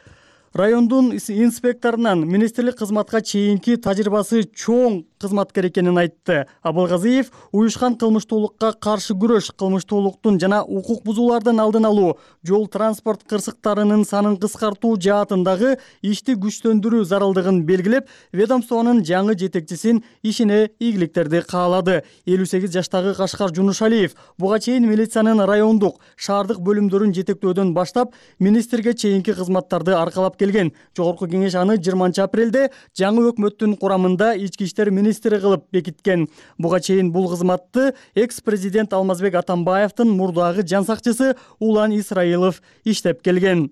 райондун инспекторунан министрлик кызматка чейинки тажрыйбасы чоң кызматкер экенин айтты. Абылгазиев уюшкан кылмыштуулукка каршы күрөш, кылмыштуулуктун жана укук бузуулардын алдын алуу, жол транспорт кырсыктарынын санын кыскартуу жаатындагы ишти күчтөндүрүү зарылдыгын белгилеп, ведомствонун жаңы жетекчисин ишине ийгиликтерди каалады. элүү сегиз жаштагы Кашкар Жунушалиев буга чейин милициянын райондук, шаардык бөлүмдөрүн жетектөөдөн баштап, министрге чейинки кызматтарды аркалап келген. Жогорку кеңеш аны жыйырманчы апрелде жаңы өкмөттүн курамында ички иштер министри кылып бекиткен. Буга чейин бул кызматты экс-президент Алмазбек Атамбаевдин мурдагы жан сакчысы Улан Исраилов иштеп келген.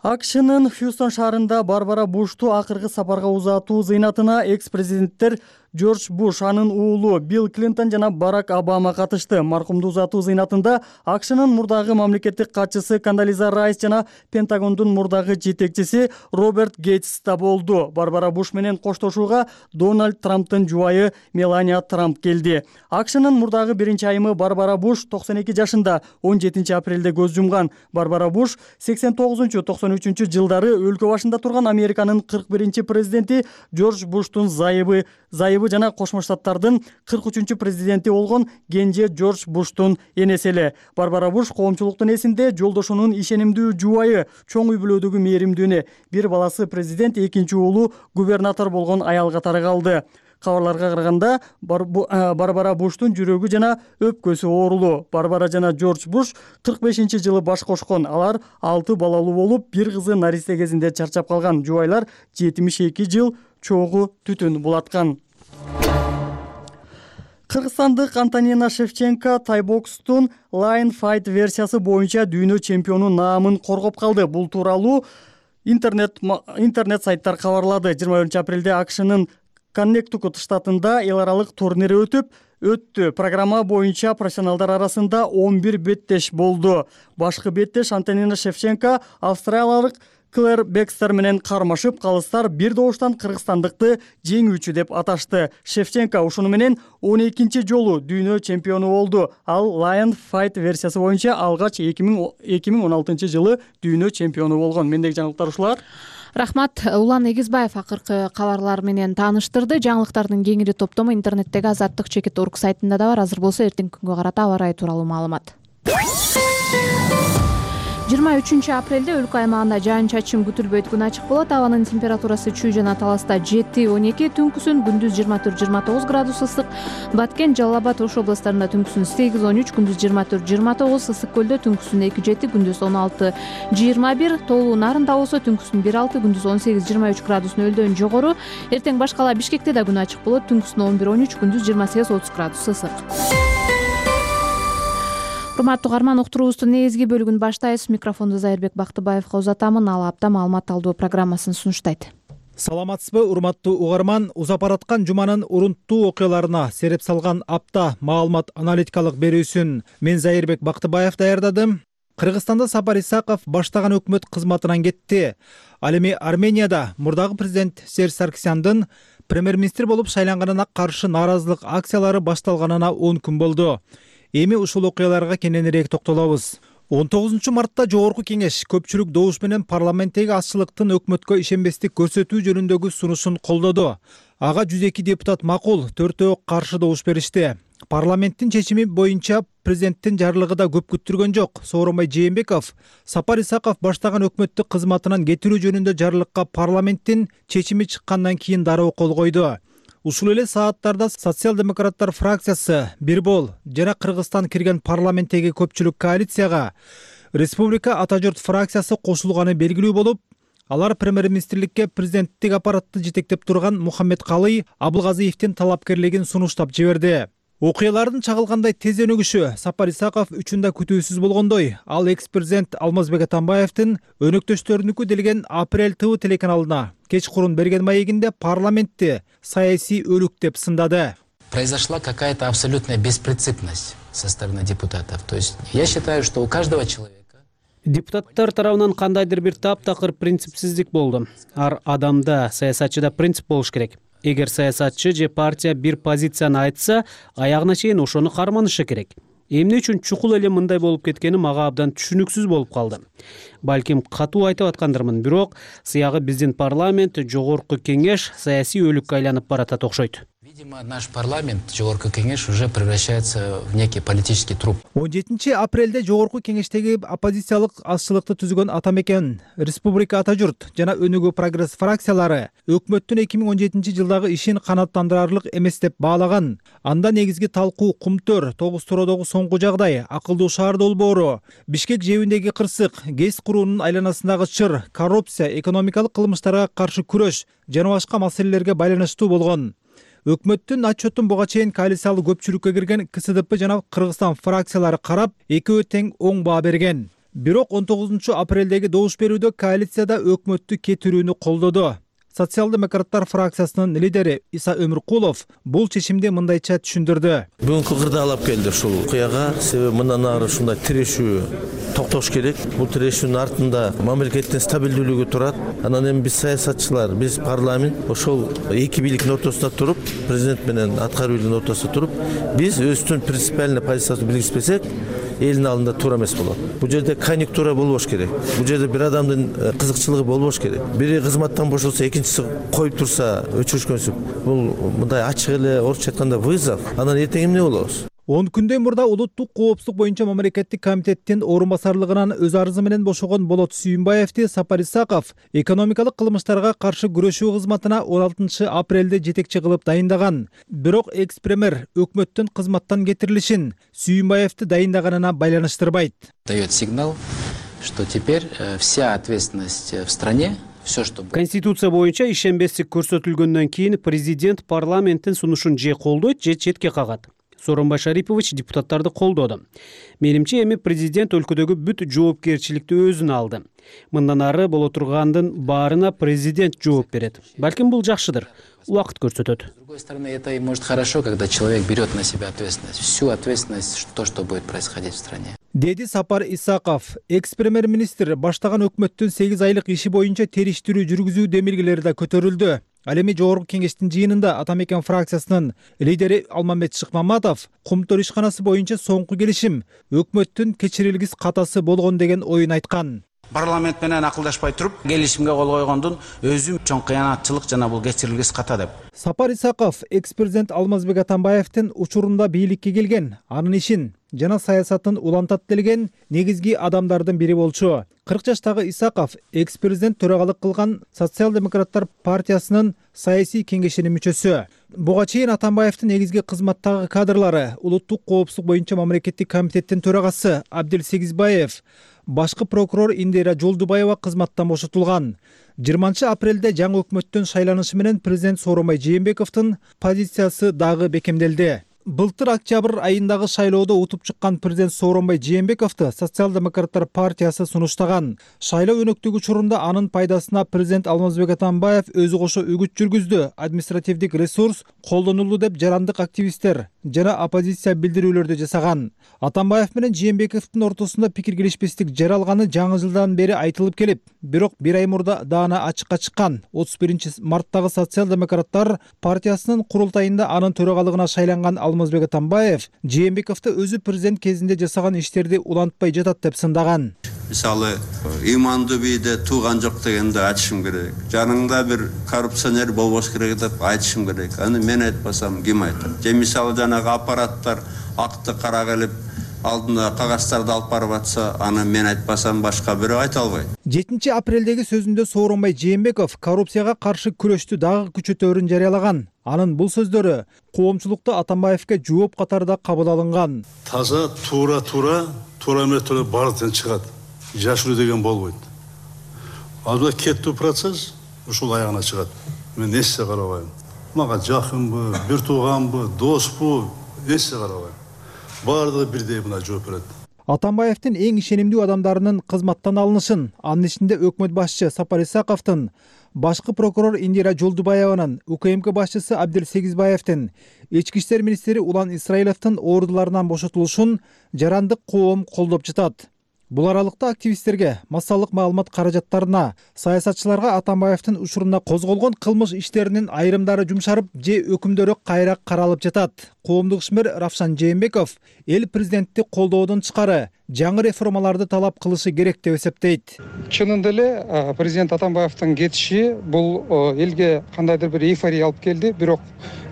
АКШнын Хьюстон шаарында Барбара Бушту акыркы сапарга узатуу зыйнатына экс-президенттер Джордж Буш, анын уулу Билл Клинтон жана Барак Обама катышты. Маркумду узатуу зыйнатында АКШнын мурдагы мамлекеттик катчысы Кондолиза Райс жана Пентагондун мурдагы жетекчиси Роберт Гейтс да болду. Барбара Буш менен коштошууга Дональд Трамптын жубайы Мелания Трамп келди. АКШнын мурдагы биринчи айымы Барбара Буш токсон эки жашында он жетинчи апрелде көз жумган. Барбара Буш сексен тогузунчу токсон үчүнчү жылдары өлкө башында турган Американын кырк биринчи президенти Джордж Буштун зайыбы зайыбы жана Кошмо Штаттардын кырк үчүнчү президенти болгон кенже Джордж Буштун энеси эле. Барбара Буш коомчулуктун эсинде жолдошунун ишенимдүү жубайы, чоң үй бүлөдөгү мээримдүү эне, бир баласы президент, экинчи уулу губернатор болгон аял катары калды. Кабарларга караганда Барбара Буштун жүрөгү жана өпкөсү оорулуу. Барбара жана Жорж Буш кырк бешинчи жылы баш кошкон. Алар алты балалуу болуп, бир кызы наристе кезинде чарчап калган. Жубайлар жетимиш эки жыл чогуу түтүн булаткан. Кыргызстандык Антонина Шевченко тайбокстун Lion Fight версиясы боюнча дүйнө чемпиону наамын коргоп калды. Бул тууралуу интернет интернет сайттар кабарлады. жыйырма биринчи апрелде АКШнын Коннектикут штатында эл аралык турнири өтүп өттү. Программа боюнча профессионалдар арасында он бир беттеш болду. Башкы беттеш Антонина Шевченко австралиялык Клэр Бекстер менен кармашып, калыстар бир добуштан кыргызстандыкты жеңүүчү деп аташты. Шевченко ушуну менен он экинчи жолу дүйнө чемпиону болду. Ал Lion Fight версиясы боюнча алгач эки миң он алтынчы жылы дүйнө чемпиону болгон. Мендеги жаңылыктар ушулар. Рахмат. Улан Эгизбаев акыркы кабарлар менен тааныштырды. Жаңылыктардын кеңири топтому интернеттеги азаттык чекит точка орг сайтында да бар. Азыр болсо эртеңки күнгө карата аба ырайы тууралуу маалымат. жыйырма үчүнчү апрелде өлкө аймагында жаан-чачын күтүлбөйт, күн ачык болот. Абанын температурасы Чүй жана Таласта жети он эки, түнкүсүн күндүз жыйырма төрт жыйырма тогуз градус ысык. Баткен, Жалал Абад, Ош областарында түнкүсүн сегиз он үч, күндүз жыйырма төрт жыйырма тогуз, Ысык көлдө түнкүсүн эки жети, күндүз он алты жыйырма бир, Тоолуу Нарында болсо түнкүсүн бир алты, күндүз он сегиз жыйырма үч градус нөлдөн жогору. Эртең башкала Бишкекте да күн ачык болот, түнкүсүн он бир он үч, күндүз жыйырма сегиз отуз градус ысык. Урматтуу угарман, уктуруубуздун негизги бөлүгүн баштайбыз. Микрофонду Зайырбек Бактыбаевга узатамын. Ал апта маалымат алуу программасын сунуштайт. Саламатсызбы, урматтуу угарман? Узап бараткан жуманын урунттуу окуяларына сереп салган апта маалымат аналитикалык берүүсүн мен Зайырбек Бактыбаев даярдадым. Кыргызстанда Сапар Исаков баштаган өкмөт кызматынан кетти. Ал эми Арменияда мурдагы президент Серж Саркисяндын премьер-министр болуп шайланганына каршы нааразылык акциялары башталганына он күн болду. Эми ушул окуяларга кененирээк токтолобуз. он тогузунчу мартта Жогорку кеңеш көпчүлүк добуш менен парламенттеги азчылыктын өкмөткө ишенбестик көрсөтүү жөнүндөгү сунушун колдоду. Ага жүз эки депутат макул, төртөө каршы добуш беришти. Парламенттин чечими боюнча президенттин жарлыгы да көп күттүргөн жок. Сооронбай Жээнбеков Сапар Исаков баштаган өкмөттү кызматынан кетирүү жөнүндө жарлыкка парламенттин чечими чыккандан кийин дароо кол койду. Ушул эле сааттарда социал-демократтар фракциясы Бирбол жана Кыргызстан кирген парламенттеги көпчүлүк коалицияга Республика Ата журт фракциясы кошулганы белгилүү болуп, алар премьер-министрликке президенттик аппаратты жетектеп турган Мухаммедкалый Абылгазиевдин талапкерлигин сунуштап жиберди. Окуялардын чагылгандай тез өнүгүшү Сапар Исаков үчүн да күтүүсүз болгондой. Ал экс-президент Алмазбек Атамбаевдин өнөктөштөрүнүкү делген Апрель ТВ телеканалына кечкурун берген маегинде парламентти саясий өлүк деп сындады. Произошла какая-то абсолютная беспринципность со стороны депутатов. То есть я считаю, что у каждого человека депутаттар тарабынан кандайдыр бир таптакыр принципсиздик болду. Ар адамда, саясатчыда принцип болуш керек. Эгер саясатчы же партия бир позицияны айтса, аягына чейин ошону карманышы керек. Эмне үчүн чукул эле мындай болуп кеткени мага абдан түшүнүксүз болуп калды. Балким катуу айтып аткандырмын, бирок сыягы биздин парламент, жогорку кеңеш саясий өлүккө айланып баратат окшойт. Видимо, наш парламент, Жогорку кеңеш, уже превращается в некий политический труп. он жетинчи апрелде Жогорку кеңештеги оппозициялык азчылыкты түзгөн Атамекен, Республика Ата журт жана Өнүгүү прогресс фракциялары өкмөттүн эки миң он жетинчи жылдагы ишин канааттандырарлык эмес деп баалаган. Анда негизги талкуу кумтөр, тогуз тууродогу соңку жагдай, акылдуу шаар долбоору, Бишкек жебиндеги кырсык, ГЭС куруунун айланасындагы чыр, коррупция, экономикалык кылмыштарга каршы күрөш жана башка маселелерге байланыштуу болгон. Өкмөттүн отчетун буга чейин коалициялык көпчүлүккө кирген КСДП жана Кыргызстан фракциялары карап, экөө тең оң баа берген. Бирок он тогузунчу апрелдеги добуш берүүдө коалицияда өкмөттү кетирүүнү колдоду. Социал-демократтар фракциясынын лидери Иса Өмүркулов бул чечимди мындайча түшүндүрдү. Бүгүнкү кырдаалап келди ушул окуяга, себеби мындан ары ушундай тирешүү токтош керек. Бул тирешүүнүн артында мамлекеттин стабилдүүлүгү турат. Анан эми биз саясатчылар, биз парламент ошол эки бийликтин ортосунда туруп, президент менен аткаруу бийлигинин ортосунда туруп, биз өзүбүздүн принципиальный позицияны белгилеспесек, элдин алдында туура эмес болот. Бул жерде конъюнктура болбош керек. Бул жерде бир адамдын кызыкчылыгы болбош керек. Бири кызматтан бошолсо, экинчиси коюп турса, өчүрүшкөнсүп, бул мындай ачык эле орусча айтканда вызов. Анан эртең эмне болобуз? он күндөй мурда улуттук коопсуздук боюнча мамлекеттик комитеттин орун басарлыгынан өз арызы менен бошогон Болот Сүйүнбаевди Сапар Исаков экономикалык кылмыштарга каршы күрөшүү кызматына он алтынчы апрелде жетекчи кылып дайындаган. Бирок экс-премьер өкмөттүн кызматтан кетирилишин Сүйүнбаевди дайындаганына байланыштырбайт. Дает сигнал, что теперь вся ответственность в стране. Конституция боюнча ишенбестик көрсөтүлгөндөн кийин президент парламенттин сунушун же колдойт, же четке кагат. Сооронбай Шарипович депутаттарды колдоду. Менимче эми президент өлкөдөгү бүт жоопкерчиликти өзүнө алды. Мындан ары боло тургандын баарына президент жооп берет. Балким бул жакшыдыр. Убакыт көрсөтөт. С другой стороны, это и может хорошо, когда человек берет на себя ответственность, всю ответственность, то, что будет происходить в стране. Деди Сапар Исаков, экс-премьер-министр баштаган өкмөттүн сегиз айлык иши боюнча териштирүү жүргүзүү демилгелери да көтөрүлдү. Ал эми жогорку кеңештин жыйынында Атамекен фракциясынын лидери Алмамбет Шыкмаматов Кумтор ишканасы боюнча соңку келишим өкмөттүн кечирилгис катасы болгон деген оюн айткан. Парламент менен акылдашпай туруп, келишимге кол койгондун өзүм чоң кыянатчылык жана бул кечирилгис ката деп. Сапар Исаков экс-президент Алмазбек Атамбаевдин учурунда бийликке келген, анын ишин жана саясатын улантат делген негизги адамдардын бири болчу. кырк жаштагы Исаков экс-президент төрагалык кылган Социал-демократтар партиясынын саясий кеңешинин мүчөсү. Буга чейин Атамбаевдин негизги кызматтагы кадрлары улуттук коопсуздук боюнча мамлекеттик комитеттин төрагасы Абдил Сегизбаев, башкы прокурор Индира Жолдубаева кызматтан бошотулган. жыйырманчы апрелде жаңы өкмөттүн шайланышы менен президент Сооронбай Жээнбековдун позициясы дагы бекемделди. Былтыр октябрь айындагы шайлоодо утуп чыккан президент Сооронбай Жээнбековду Социал-демократтар партиясы сунуштаган. Шайлоо өнөктүгү учурунда анын пайдасына президент Алмазбек Атамбаев өзү кошо үгүт жүргүздү. Административдик ресурс колдонулду деп жарандык активисттер жана оппозиция билдирүүлөрдү жасаган. Атамбаев менен Жээнбековдун ортосунда пикир келишпестик жаралганы жаңы жылдан бери айтылып келип, бирок бир ай мурда даана ачыкка чыккан. отуз биринчи марттагы Социал-демократтар партиясынын курултайында анын төрагалыгына шайланган Алмазбек Атамбаев Жээнбековду өзү президент кезинде жасаган иштерди улантпай жатат деп сындаган. Мисалы, имандуу бийде тууган жок дегенди айтышым керек. Жаныңда бир коррупционер болбош керек деп айтышым керек. Аны мен айтпасам ким айтат? Же мисалы жанагы аппараттар акты кара келип алдында кагаздарды алып барып атса, аны мен айтпасам башка бирөө айта албайт. жетинчи апрелдеги сөзүндө Сооронбай Жээнбеков коррупцияга каршы күрөштү дагы күчөтөөрүн жарыялаган. Анын бул сөздөрү коомчулукта Атамбаевге жооп катарында кабыл алынган. Таза туура туура туура методо бардыктан чыгат. Жашыруу деген болбойт. Албетте кеттүү процесс ушул аягына чыгат. Мен эссе карабайм. Мага жакынбы, бир тууганбы, доспу, эссе карабайм. Бардыгы бирдей мына жооп берет. Атамбаевдин эң ишенимдүү адамдарынын кызматтан алынышын, анын ичинде өкмөт башчы Сапар Исаковдун, башкы прокурор Индира Жолдубаеванын, УКМК башчысы Абдил Сегизбаевдин, ички иштер министри Улан Исраиловдун ордуларынан бошотулушун жарандык коом колдоп жатат. Бул аралыкта активисттерге, массалык маалымат каражаттарына, саясатчыларга Атамбаевдин учурунда козголгон кылмыш иштеринин айрымдары жумшарып, же өкүмдөрү кайра каралып жатат. Коомдук ишмер Равшан Жээнбеков эл президентти колдоодон тышкары жаңы реформаларды талап кылышы керек деп эсептейт. Чынында эле президент Атамбаевдин кетиши бул элге кандайдыр бир эйфория алып келди, бирок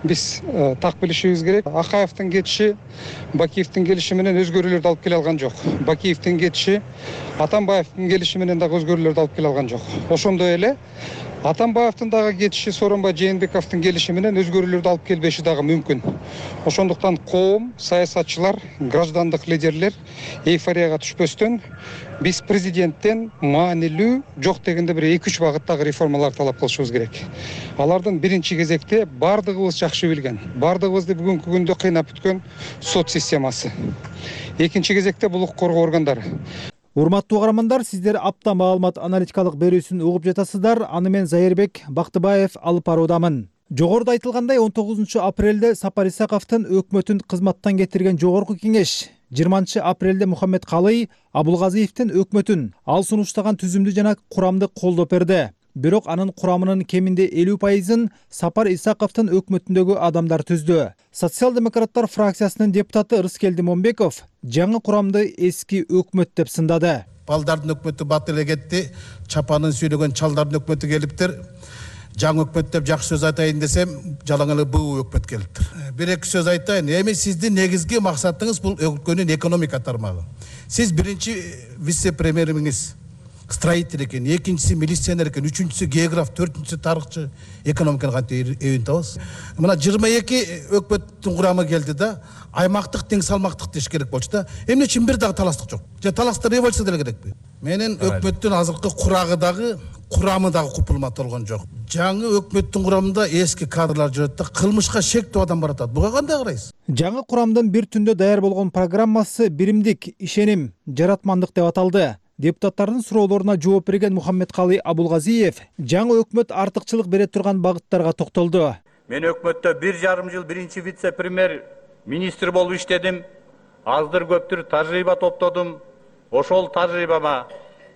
биз так билишибиз керек. Акаевдин кетиши Бакиевдин келиши менен өзгөрүүлөрдү алып келе алган жок. Бакиевдин кетиши Атамбаевдин келиши менен дагы өзгөрүүлөрдү алып келе алган жок. Ошондой эле Атамбаевдин дагы кетиши Сооронбай Жээнбековдун келиши менен өзгөрүүлөрдү алып келбеши дагы мүмкүн. Ошондуктан коом, саясатчылар, граждандык лидерлер эйфорияга түшпөстөн биз президенттен маанилүү жок дегенде бир эки үч багыттагы реформалар талап кылышыбыз керек. Алардын биринчи кезекте бардыгыбыз жакшы билген, бардыгыбызды бүгүнкү күндө кыйнап бүткөн сот системасы. Экинчи кезекте бул укук коргоо органдары. Урматтуу угармандар, сиздер апта маалымат аналитикалык берүүсүн угуп жатасыздар. Аны мен Зайырбек Бактыбаев алып баруудамын. Жогоруда айтылгандай, он тогузунчу апрелде Сапар Исаковдун өкмөтүн кызматтан кетирген жогорку кеңеш жыйырманчы апрелде Мухаммед Калый Абулгазиевдин өкмөтүн ал сунуштаган түзүмдү жана курамды колдоп берди. Бирок анын курамынын кеминде элүү пайызын Сапар Исаковдун өкмөтүндөгү адамдар түздү. Социал-демократтар фракциясынын депутаты Рыскелди Момбеков жаңы курамды эски өкмөт деп сындады. Балдардын өкмөтү батыр эле кетти, чапанын сүйрөгөн чалдардын өкмөтү келиптир. жаңы өкмөт деп жакшы сөз айтайын десем, жалаң эле буу өкмөт келиптир. Бир эки сөз айтайын. Эми сиздин негизги максатыңыз бул өлкөнүн экономика тармагы. Сиз биринчи вице-премьериңиз строитель экен, экинчиси милиционер экен, үчүнчүсү географ, төртүнчүсү тарыхчы, экономиканы кантип эбин табасыз. Мына жыйырма эки өкмөттүн курамы келди да, аймактык тең салмактык деш керек болчу да. Эмне үчүн бир дагы таластык жок? Же таласта революция деле керекпи? Менин өкмөттүн азыркы курагы дагы, курамы дагы купулма болгон жок. Жаңы өкмөттүн курамында эски кадрлар жүрөт да, кылмышка шектүү адам баратат. Буга кандай карайсыз? Жаңы курамдын бир түндө даяр болгон программасы биримдик, ишеним, жаратмандык деп аталды. Депутаттардын суроолоруна жооп берген Мухаммедкалый Абулгазиев жаңы өкмөт артыкчылык бере турган багыттарга токтолду. Мен өкмөттө бир жарым жыл биринчи вице-премьер министр болуп иштедим. Аздыр көптүр тажрыйба топтодум. Ошол тажрыйбама,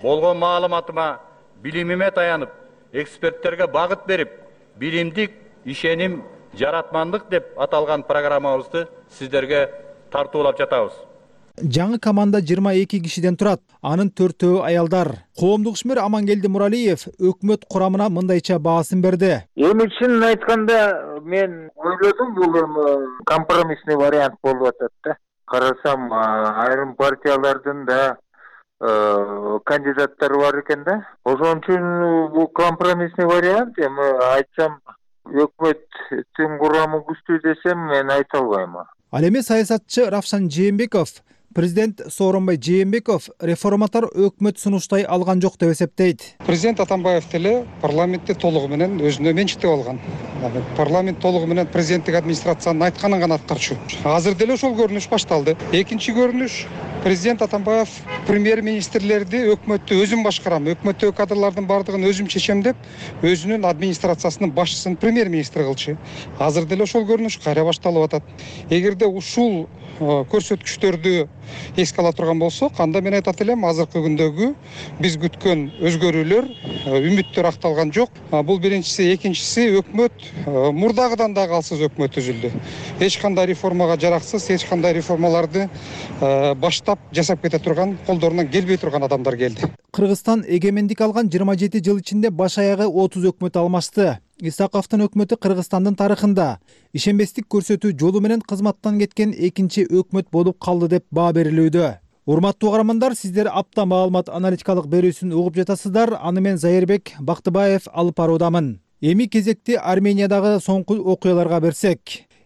болгон маалыматыма, билимиме таянып, эксперттерге багыт берип, биримдик, ишеним, жаратмандык деп аталган программабызды сиздерге тартуулап жатабыз. Жаңы команда жыйырма эки кишиден турат. Анын төртөө аялдар. Коомдук ишмер Амангелди Муралиев өкмөт курамына мындайча баасын берди. Эми чынын айтканда мен ойлодум, бул компромиссный вариант болуп атат да. Карасам, айрым партиялардын да кандидаттары бар экен да. Ошон үчүн бул компромиссный вариант. Эми айтсам, өкмөттүн курамы күчтүү десем, мен айта албайм. Ал эми саясатчы Равшан Жээнбеков, президент Сооронбай Жээнбеков реформатор өкмөт сунуштай алган жок деп эсептейт. Президент Атамбаев деле парламентти толугу менен өзүнө менчиктеп алган. Парламент толугу менен президенттик администрациянын айтканын гана аткарчу. Азыр деле ошол көрүнүш башталды. Экинчи көрүнүш, президент Атамбаев премьер-министрлерди өкмөттү өзүм башкарам, өкмөттөгү кадрлардын бардыгын өзүм чечем деп, өзүнүн администрациясынын башчысын премьер-министр кылчу. Азыр деле ошол көрүнүш кайра башталып атат. Эгерде ушул көрсөткүчтөрдү эске ала турган болсок, анда мен айтат элем, азыркы күндөгү биз күткөн өзгөрүүлөр, үмүттөр акталган жок. Бул биринчиси, экинчиси, өкмөт мурдагыдан да калсыз өкмөт түзүлдү. Эч кандай реформага жараксыз, эч кандай реформаларды баштап жасап кете турган, колдорунан келбей турган адамдар келди. Кыргызстан эгемендик алган жыйырма жети жыл ичинде баш аягы отуз өкмөт алмашты. Исаковдун өкмөтү Кыргызстандын тарыхында ишенбестик көрсөтүү жолу менен кызматтан кеткен экинчи өкмөт болуп калды деп баа берилүүдө. Урматтуу угармандар, сиздер апта маалымат аналитикалык берүүсүн угуп жатасыздар. Аны мен Зайырбек Бактыбаев алып баруудамын. Эми кезекти Армениядагы соңку окуяларга берсек.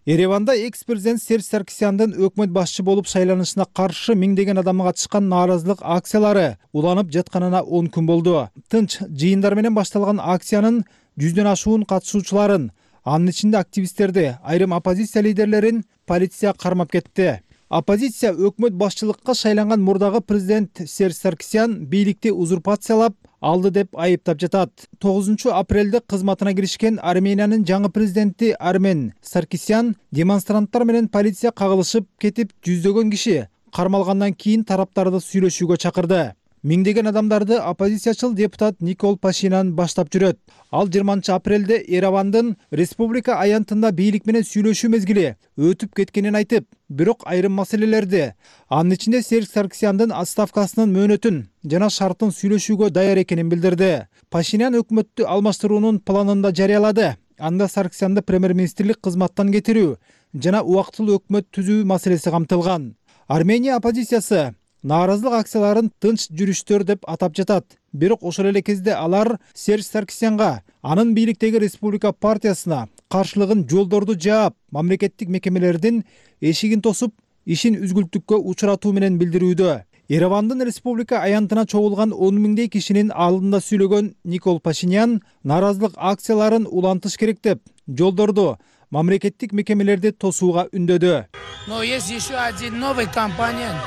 Ереванда экс-президент Серж Саркисяндын өкмөт башчы болуп шайланышына каршы миңдеген адам катышкан нааразылык акциялары уланып жатканына он күн болду. Тынч жыйындар менен башталган акциянын жүздөн ашуун катышуучуларын, анын ичинде активисттерди, айрым оппозиция лидерлерин полиция кармап кетти. Оппозиция өкмөт башчылыкка шайланган мурдагы президент Серж Саркисян бийликти узурпациялап алды деп айыптап жатат. тогузунчу апрелде кызматына киришкен Армениянын жаңы президенти Армен Саркисян демонстранттар менен полиция кагылышып кетип, жүздөгөн киши кармалгандан кийин тараптарды сүйлөшүүгө чакырды. Миңдеген адамдарды оппозициячыл депутат Никол Пашинян баштап жүрөт. Ал жыйырманчы апрелде Еревандын республика аянтында бийлик менен сүйлөшүү мезгили өтүп кеткенин айтып, бирок айрым маселелерди, анын ичинде Серж Саркисяндын отставкасынын мөөнөтүн жана шартын сүйлөшүүгө даяр экенин билдирди. Пашинян өкмөттү алмаштыруунун планын да жарыялады. Анда Саркисянды премьер-министрлик кызматтан кетирүү жана убактылуу өкмөт түзүү маселеси камтылган. Армения оппозициясы нааразылык акцияларын тынч жүрүштөр деп атап жатат. Бирок ошол эле кезде алар Серж Саркисянга, анын бийликтеги Республика партиясына каршылыгын жолдорду жаап, мамлекеттик мекемелердин эшигин тосуп, ишин үзгүлтүккө учуратуу менен билдирүүдө. Еревандын республика аянтына чогулган он миңдей кишинин алдында сүйлөгөн Никол Пашинян нааразылык акцияларын улантыш керек деп, жолдорду, мамлекеттик мекемелерди тосууга үндөдү. Но есть еще один новый компонент.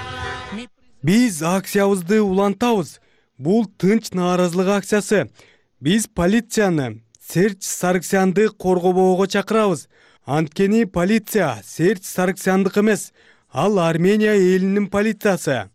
Биз акциябызды улантабыз. Бул тынч нааразылык акциясы. Биз полицияны Серж Саркисянды коргобоого чакырабыз. Анткени полиция Серж Саркисяндык эмес, ал Армения элинин полициясы.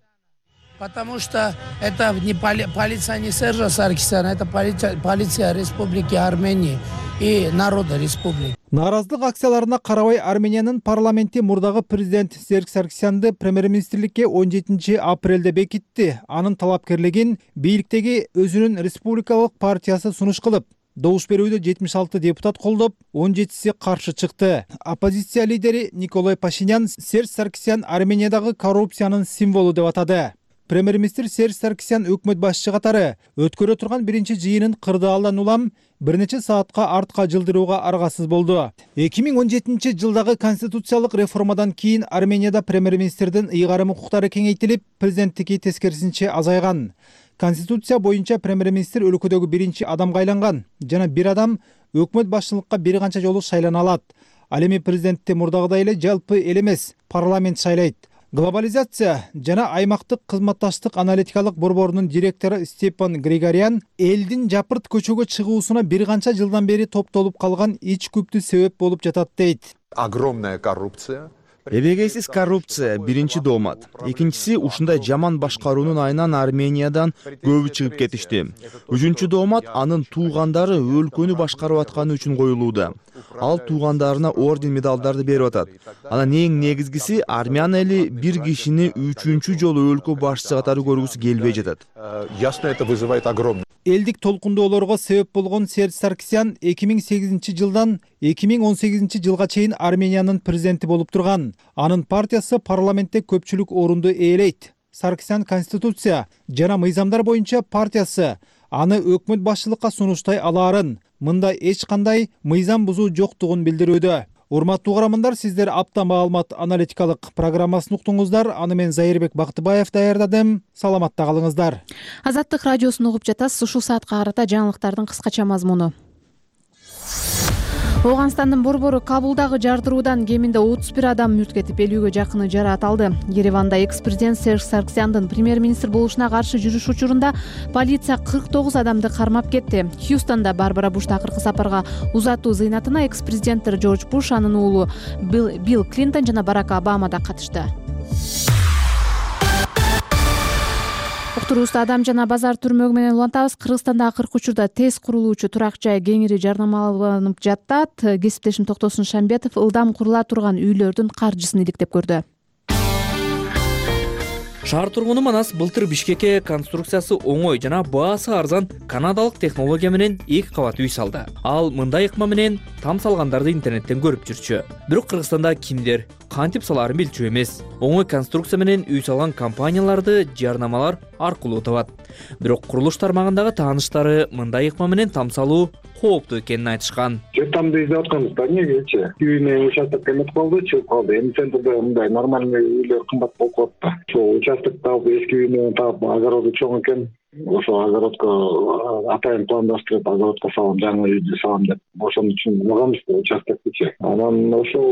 Потому что это не поли, полиция не Сержа Саркисяна, это полиция, полиция Республики Армении и народа республики. Нааразылык акцияларына карабай Армениянын парламенти мурдагы президент Серж Саркисянды премьер-министрликке он жетинчи апрелде бекитти. Анын талапкерлигин бийликтеги өзүнүн республикалык партиясы сунуш кылып, Добуш берүүдө жетимиш алты депутат колдоп, он жетиси каршы чыкты. Оппозиция лидери Николай Пашинян Серж Саркисян Армениядагы коррупциянын символу деп атады. Премьер-министр Серж Саркисян өкмөт башчы катары өткөрө турган биринчи жыйынын кырдаалдан улам бир нече саатка артка жылдырууга аргасыз болду. эки миң он жетинчи жылдагы конституциялык реформадан кийин Арменияда премьер-министрдин ыйгарым укуктары кеңейтилип, президенттики тескерисинче азайган. Конституция боюнча премьер-министр өлкөдөгү биринчи адамга айланган жана бир адам өкмөт башчылыкка бир канча жолу шайлана алат. Ал эми президентти мурдагыдай эле жалпы эл эмес, парламент шайлайт. Глобализация жана аймактык кызматташтык аналитикалык борборунун директору Степан Григорян элдин жапырт көчөгө чыгуусуна бир канча жылдан бери топтолуп калган ич күптү себеп болуп жатат дейт. Огромная коррупция. Эбегейсиз коррупция биринчи доомат. Экинчиси ушундай жаман башкаруунун айынан Армениядан көбү чыгып кетишти. Үчүнчү доомат анын туугандары өлкөнү башкарып атканы үчүн коюлууда. Ал туугандарына орден медалдарды берип атат. Анан эң негизгиси армян эли бир кишини үчүнчү жолу өлкө башчысы катары көргүсү келбей жатат. Ясно, это вызывает огромный. Элдик толкундоолорго себеп болгон Серж Саркисян эки миң сегизинчи жылдан эки миң он сегизинчи жылга чейин Армениянын президенти болуп турган. Анын партиясы парламентте көпчүлүк орунду ээлейт. Саркисян конституция жана мыйзамдар боюнча партиясы аны өкмөт башчылыкка сунуштай алаарын, мында эч кандай мыйзам бузуу жоктугун билдирүүдө. Урматтуу угармандар, сиздер апта маалымат аналитикалык программасын уктуңуздар. Аны мен Зайырбек Бактыбаев даярдадым. Саламатта калыңыздар. Азаттык радиосун угуп жатасыз. Ушул саатка карата жаңылыктардын кыскача мазмуну. Ооганстандын борбору Кабулдагы жардыруудан кеминде отуз бир адам мүрт кетип, элүүгө жакыны жараат алды. Ереванда экс-президент Серж Саркисяндын премьер-министр болушуна каршы жүрүш учурунда полиция кырк тогуз адамды кармап кетти. Хьюстонда Барбара Буш акыркы сапарга узатуу зыйнатына экс-президенттер Джордж Буш, анын уулу Билл Клинтон жана Барак Обама да катышты. Уктуруубузду Адам жана базар түрмөгү менен улантабыз. Кыргызстанда акыркы учурда тез курулуучу турак жай кеңири жарнамаланып жатат. Кесиптешим Токтосун Шамбетов ылдам курула турган үйлөрдүн каржысын иликтеп көрдү. Шаар тургуну Манас былтыр Бишкекке конструкциясы оңой жана баасы арзан канадалык технология менен эки кабат үй салды. Ал мындай ыкма менен там салгандарды интернеттен көрүп жүрчү. Бирок Кыргызстанда кимдер кантип салаарын билчү эмес. Оңой конструкция менен үй салган компанияларды жарнамалар аркылуу табат. Бирок курулуш тармагындагы тааныштары мындай ыкма менен там салуу кооптуу экенин айтышкан. Тамды издеп атканбыз да, эмнегечи? Үйүнө участок эмес калды, чыгып калды. Эми центрде мындай нормальный үйлөр кымбат болуп калат да. Ошол участок таап, эски үйүнө таап, огороду чоң экен. Ошо огородко атайын пландаштырып, огородко салам, жаңы үйдү салам деп. Ошон үчүн алганбыз да участокчу. Анан ошо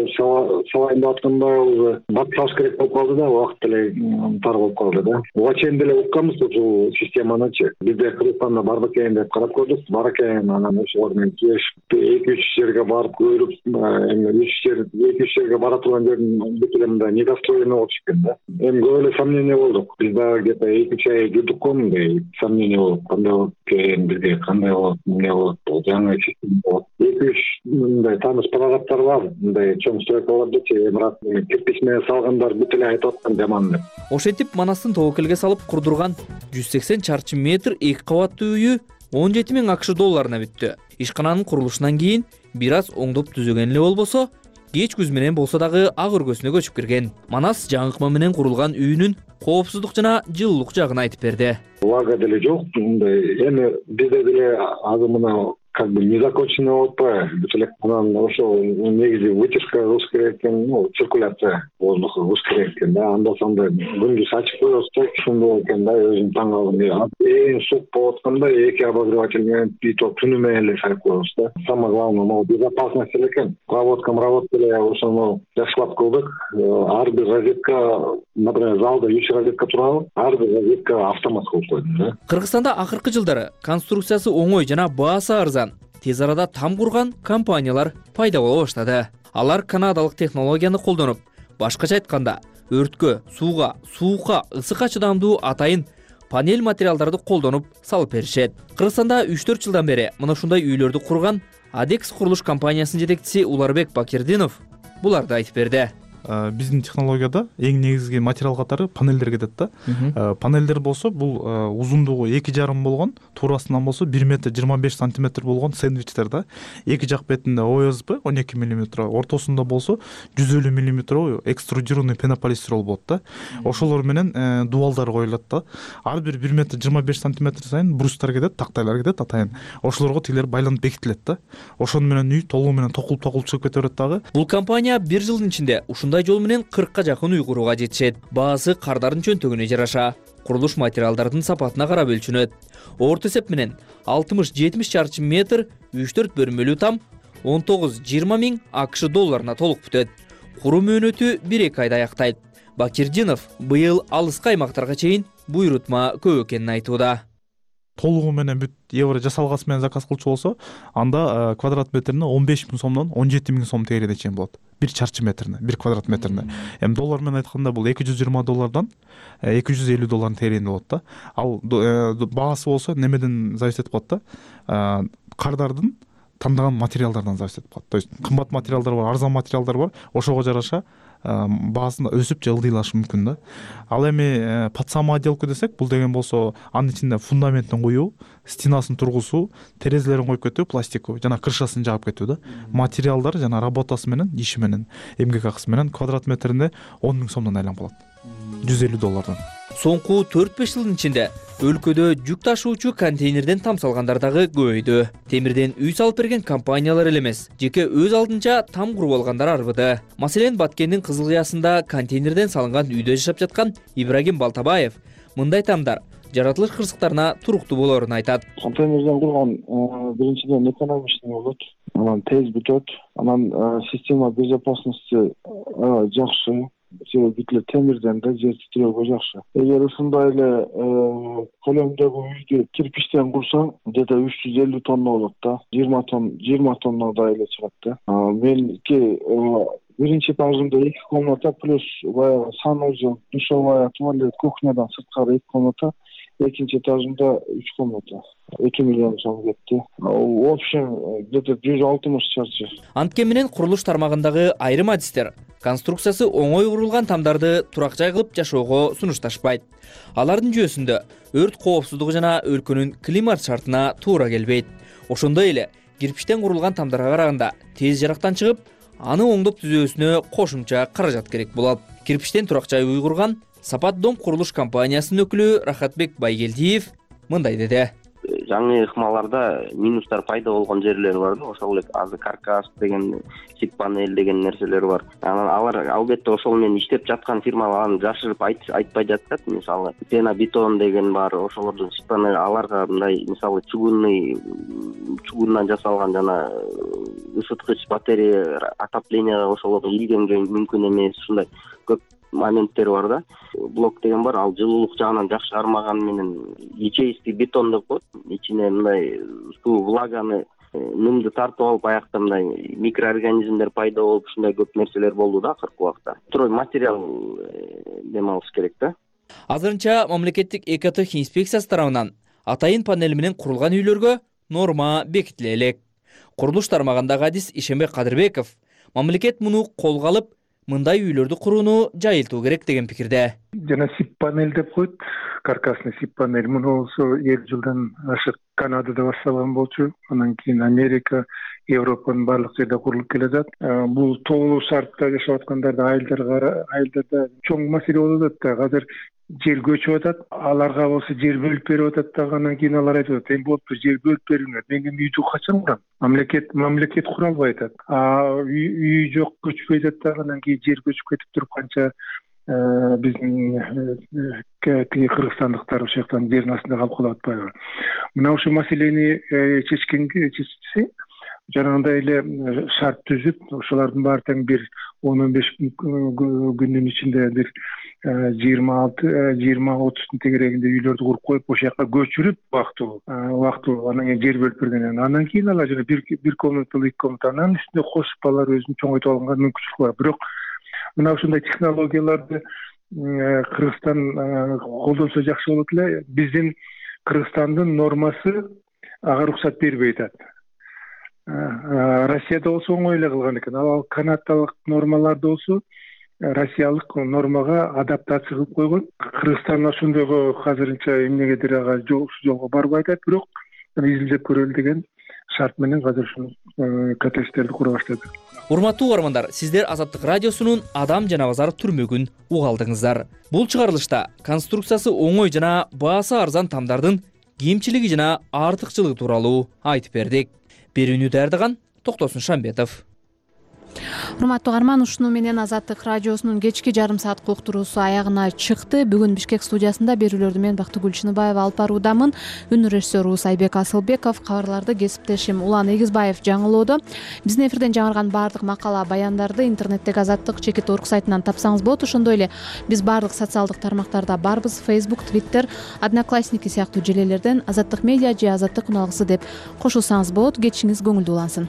салайын деп атканда уже бат салыш керек болуп калды да, убакыт деле тар болуп калды да. Буга чейин деле укканбыз ушул системанычы. Бизде Кыргызстанда бар бекен деп карап көрдүк, бар экен. Анан ошолор менен кешип эки үч жерге барып көрүп, эми үч жер, эки үч жерге бара турган жердин бүт эле мындай недостроенный болуп чыккан да. Эми көп эле сомнение болдук. Биз дагы где-то эки үч ай жүрдүк го мындай сомнение болуп, кандай болот экен, бизге кандай болот, эмне болот, жаңы система болот. эки үч мындай тааныш парагаттар бар, мындай чоң стройкалардычы, эмират кирпич менен салгандар бүт эле айтып аткан жаман деп. Ошентип Манастын тобокелге салып курдурган жүз сексен чарчы метр эки кабаттуу үйү он жети миң акш долларына бүттү. Ишкананын курулушунан кийин бир аз оңдоп түзөгөн эле болбосо, кеч күз менен болсо дагы ак өргөсүнө көчүп кирген. Манас жаңы ыкма менен курулган үйүнүн коопсуздук жана жылуулук жагын айтып берди. Влага деле жок, мындай эми бизде деле азыр мына как бы незаконченный болуп атпайбы, бүт эле анан ошо негизи вытяжка кылыш керек экен, ну циркуляция воздуха кылыш керек экен да. Анда санда күндүз ачып коесуз, ушундай экен да, өзүм таң калдым. Эң суык болуп атканда эки обогреватель менен питок түнү менен эле салып коебуз да. Самое главное, могу безопасность эле экен. Проводка, проводка эле ошону жакшылап кылдык. Ар бир розетка, например, залда үч розетка турабы, ар бир розетка автомат кылып койдум да. Кыргызстанда акыркы жылдары конструкциясы оңой жана баасы арзан, тез арада там курган компаниялар пайда боло баштады. Алар канадалык технологияны колдонуп, башкача айтканда, өрткө, сууга, суукка, ысыкка чыдамдуу атайын панель материалдарды колдонуп салып беришет. Кыргызстанда үч төрт жылдан бери мына ушундай үйлөрдү курган Адекс курулуш компаниясынын жетекчиси Уларбек Бакирдинов буларды айтып берди. биздин технологияда эң негизги материал катары панелдер кетет да. Панелдер болсо бул узундугу эки жарым болгон, туурасынан болсо бир метр жыйырма беш сантиметр болгон сэндвичтер да. Эки жак бетинде о эс бэ он эки миллиметр, ортосунда болсо жүз элүү миллиметр экструдированный пенополистирол болот да. Ошолор менен дуалдар коюлат да. Ар бир бир метр жыйырма беш сантиметр сайын брустар кетет, тактайлар кетет атайын. Ошолорго тигилер байланып бекитилет да. Ошону менен үй толугу менен токулуп токулуп чыгып кете берет дагы. Бул компания бир жылдын ичинде ушундай жол менен кыркка жакын үй курууга жетишет. Баасы кардардын чөнтөгүнө жараша курулуш материалдардын сапатына карап өлчөнөт. Орто эсеп менен алтымыш жетимиш чарчы метр үч төрт бөлмөлүү там он тогуз жыйырма миң акш долларына толук бүтөт. Куруу мөөнөтү бир эки айда аяктайт. Бакирдинов быйыл алыскы аймактарга чейин буйрутма көп экенин айтууда. Толугу менен бүт евро жасалгасы менен заказ кылчу болсо, анда квадрат метрине он беш миң сомдон он жети миң сом тегерене чейин болот. Бир чарчы метрине, бир квадрат метрине. Эми доллар менен айтканда бул эки жүз жыйырма доллардан эки жүз элүү доллардын тегерегинде болот да. Ал баасы болсо немеден зависит этип калат да. Кардардын тандаган материалдардан зависит этип калат. То есть кымбат материалдар бар, арзан материалдар бар. Ошого жараша баасында өсүп же ылдыйлашы мүмкүн да. Ал эми под саму отделку десек, бул деген болсо анын ичинде фундаментин куюу, стенасын тургузуу, терезелерин коюп кетүү, пластику жана крышасын жаап кетүү да. Материалдар жана работасы менен, иши менен, эмгек акысы менен квадрат метринде он миң сомдон айланып калат. жүз элүү доллардан. Соңку төрт беш жылдын ичинде өлкөдө жүк ташуучу контейнерден тамсалгандар дагы көбөйдү. Темирден үй салып берген компаниялар эле эмес, жеке өз алдынча там куруп алгандар арбыды. Маселен, Баткендин Кызыл Кыясында контейнерден салынган үйдө жашап жаткан Ибрагим Балтабаев мындай тамдар жаратылыш кырсыктарына туруктуу болоорун айтат. Контейнерден курган биринчиден экономичный болот, анан тез бүтөт, анан система безопасности жакшы. Себеби темирден да жер титирөөгө жакшы. Эгер ушундай эле көлөмдөгү үйдү кирпичтен курсаң, где-то үч жүз элүү тонна болот да. жыйырма тонна, жыйырма тоннадай эле чыгат да. Меники биринчи этажымда эки комната плюс баягы санузел, душевая, туалет, кухнядан сырткары эки комната. Экинчи этажымда үч комната. эки миллион сом кетти. В общем, где-то жүз алтымыш чарчы. Антке менен курулуш тармагындагы айрым адистер конструкциясы оңой курулган тамдарды турак жай кылып жашоого сунушташпайт. Алардын жүйөсүндө өрт коопсуздугу жана өлкөнүн климат шартына туура келбейт. Ошондой эле кирпичтен курулган тамдарга караганда тез жарактан чыгып, аны оңдоп түзөөсүнө кошумча каражат керек болот. Кирпичтен турак жай уй курган Сапат дом курулуш компаниясынын өкүлү Рахатбек Байгелдиев мындай деди. Жаңы ыкмаларда минустар пайда болгон жерлер бар да, ошол эле азыр каркас деген, сит панель деген нерселер бар. Анан алар албетте ошол менен иштеп жаткан фирмалар аны жашырып айтпай жатат. Мисалы, пенобетон деген бар, ошолордун сит панель, аларга мындай мисалы чугунный чугундан жасалган жана ысыткыч батарея отопленияга ошолорду ийгенге мүмкүн эмес, ушундай көп моменттер бар да. Блок деген бар, ал жылуулук жагынан жакшы кармаган менен ячеистый бетон деп коет. Ичине мындай суу, влаганы, нымды тартып алып, аякта мындай микроорганизмдер пайда болуп, ушундай көп нерселер болду да акыркы убакта. Строй материал демалыш керек да. Азырынча мамлекеттик экотех инспекциясы тарабынан атайын панель менен курулган үйлөргө норма бекитиле элек. Курулуш тармагындагы адис Ишенбек Кадырбеков мамлекет муну колго алып, мындай үйлөрдү курууну жайылтуу керек деген пикирде. Жана сип панель деп коет, каркасный сип панель. Муну болсо элүү жылдан ашык Канадада башталган болчу. Анан кийин Америка, Европанын баардык жерде курулуп келе жатат. Бул тоолуу шартта жашап аткандарда айылдарга, айылдарда чоң маселе болуп атат да. Азыр жер көчүп атат, аларга болсо жер бөлүп берип атат да, анан кийин алар айтып атат, эми болуптур, жер бөлүп бериңер, мен эми үйдү качан курам? Мамлекет мамлекет кура албай атат. А үй жок, көчпөй атат да, анан кийин жер көчүп кетип туруп канча биздин кыргызстандыктар ошол жактан жердин астында калып калып атпайбы? Мына ушул маселени чечкенге чечсе, жанагындай эле шарт түзүп, ошолордун баары тең бир он он беш күндүн ичинде бир жыйырма алты жыйырма отуздун тегерегинде үйлөрдү куруп коюп, ошол жака көчүрүп убактылуу убактылуу анан кийин жер бөлүп бергенен анан кийин алар жана бир бир комнаталуу эки комната анан үстүнө кошуп алар өзүн чоңойтуп алганга мүмкүнчүлүк бар. Бирок мына ушундай технологияларды Кыргызстан колдонсо жакшы болот эле. Биздин Кыргызстандын нормасы ага уруксат бербей атат. Россияда болсо оңой эле кылган экен. Ал канадалык нормаларда болсо россиялык нормага адаптация кылып койгон. Кыргызстан ошондойго азырынча эмнегедир ага жолго барбай атат, бирок изилдеп көрөлү деген шарт менен азыр ушул КТСтерди кура баштады. Урматтуу угармандар, сиздер Азаттык радиосунун Адам жана базар түрмөгүн уга алдыңыздар. Бул чыгарылышта конструкциясы оңой жана баасы арзан тамдардын кемчилиги жана артыкчылыгы тууралуу айтып бердик. Берүүнү даярдаган Токтосун Шамбетов. Урматтуу угарман, ушуну менен Азаттык радиосунун кечки жарым сааттык уктуруусу аягына чыкты. Бүгүн Бишкек студиясында берүүлөрдү мен Бактыгүл Чыныбаева алып баруудамын. Үн режиссеру Сайбек Асылбеков, кабарларды кесиптешим Улан Эгизбаев жаңылоодо. Биздин эфирден жаңырган баардык макала, баяндарды интернеттеги Азаттык чекит орг сайтынан тапсаңыз болот. Ошондой эле биз баардык социалдык тармактарда барбыз. Facebook, Twitter, Одноклассники сыяктуу желелерден Азаттык медиа же Азаттык уналгысы деп кошулсаңыз болот. Кечиңиз көңүлдүү улансын.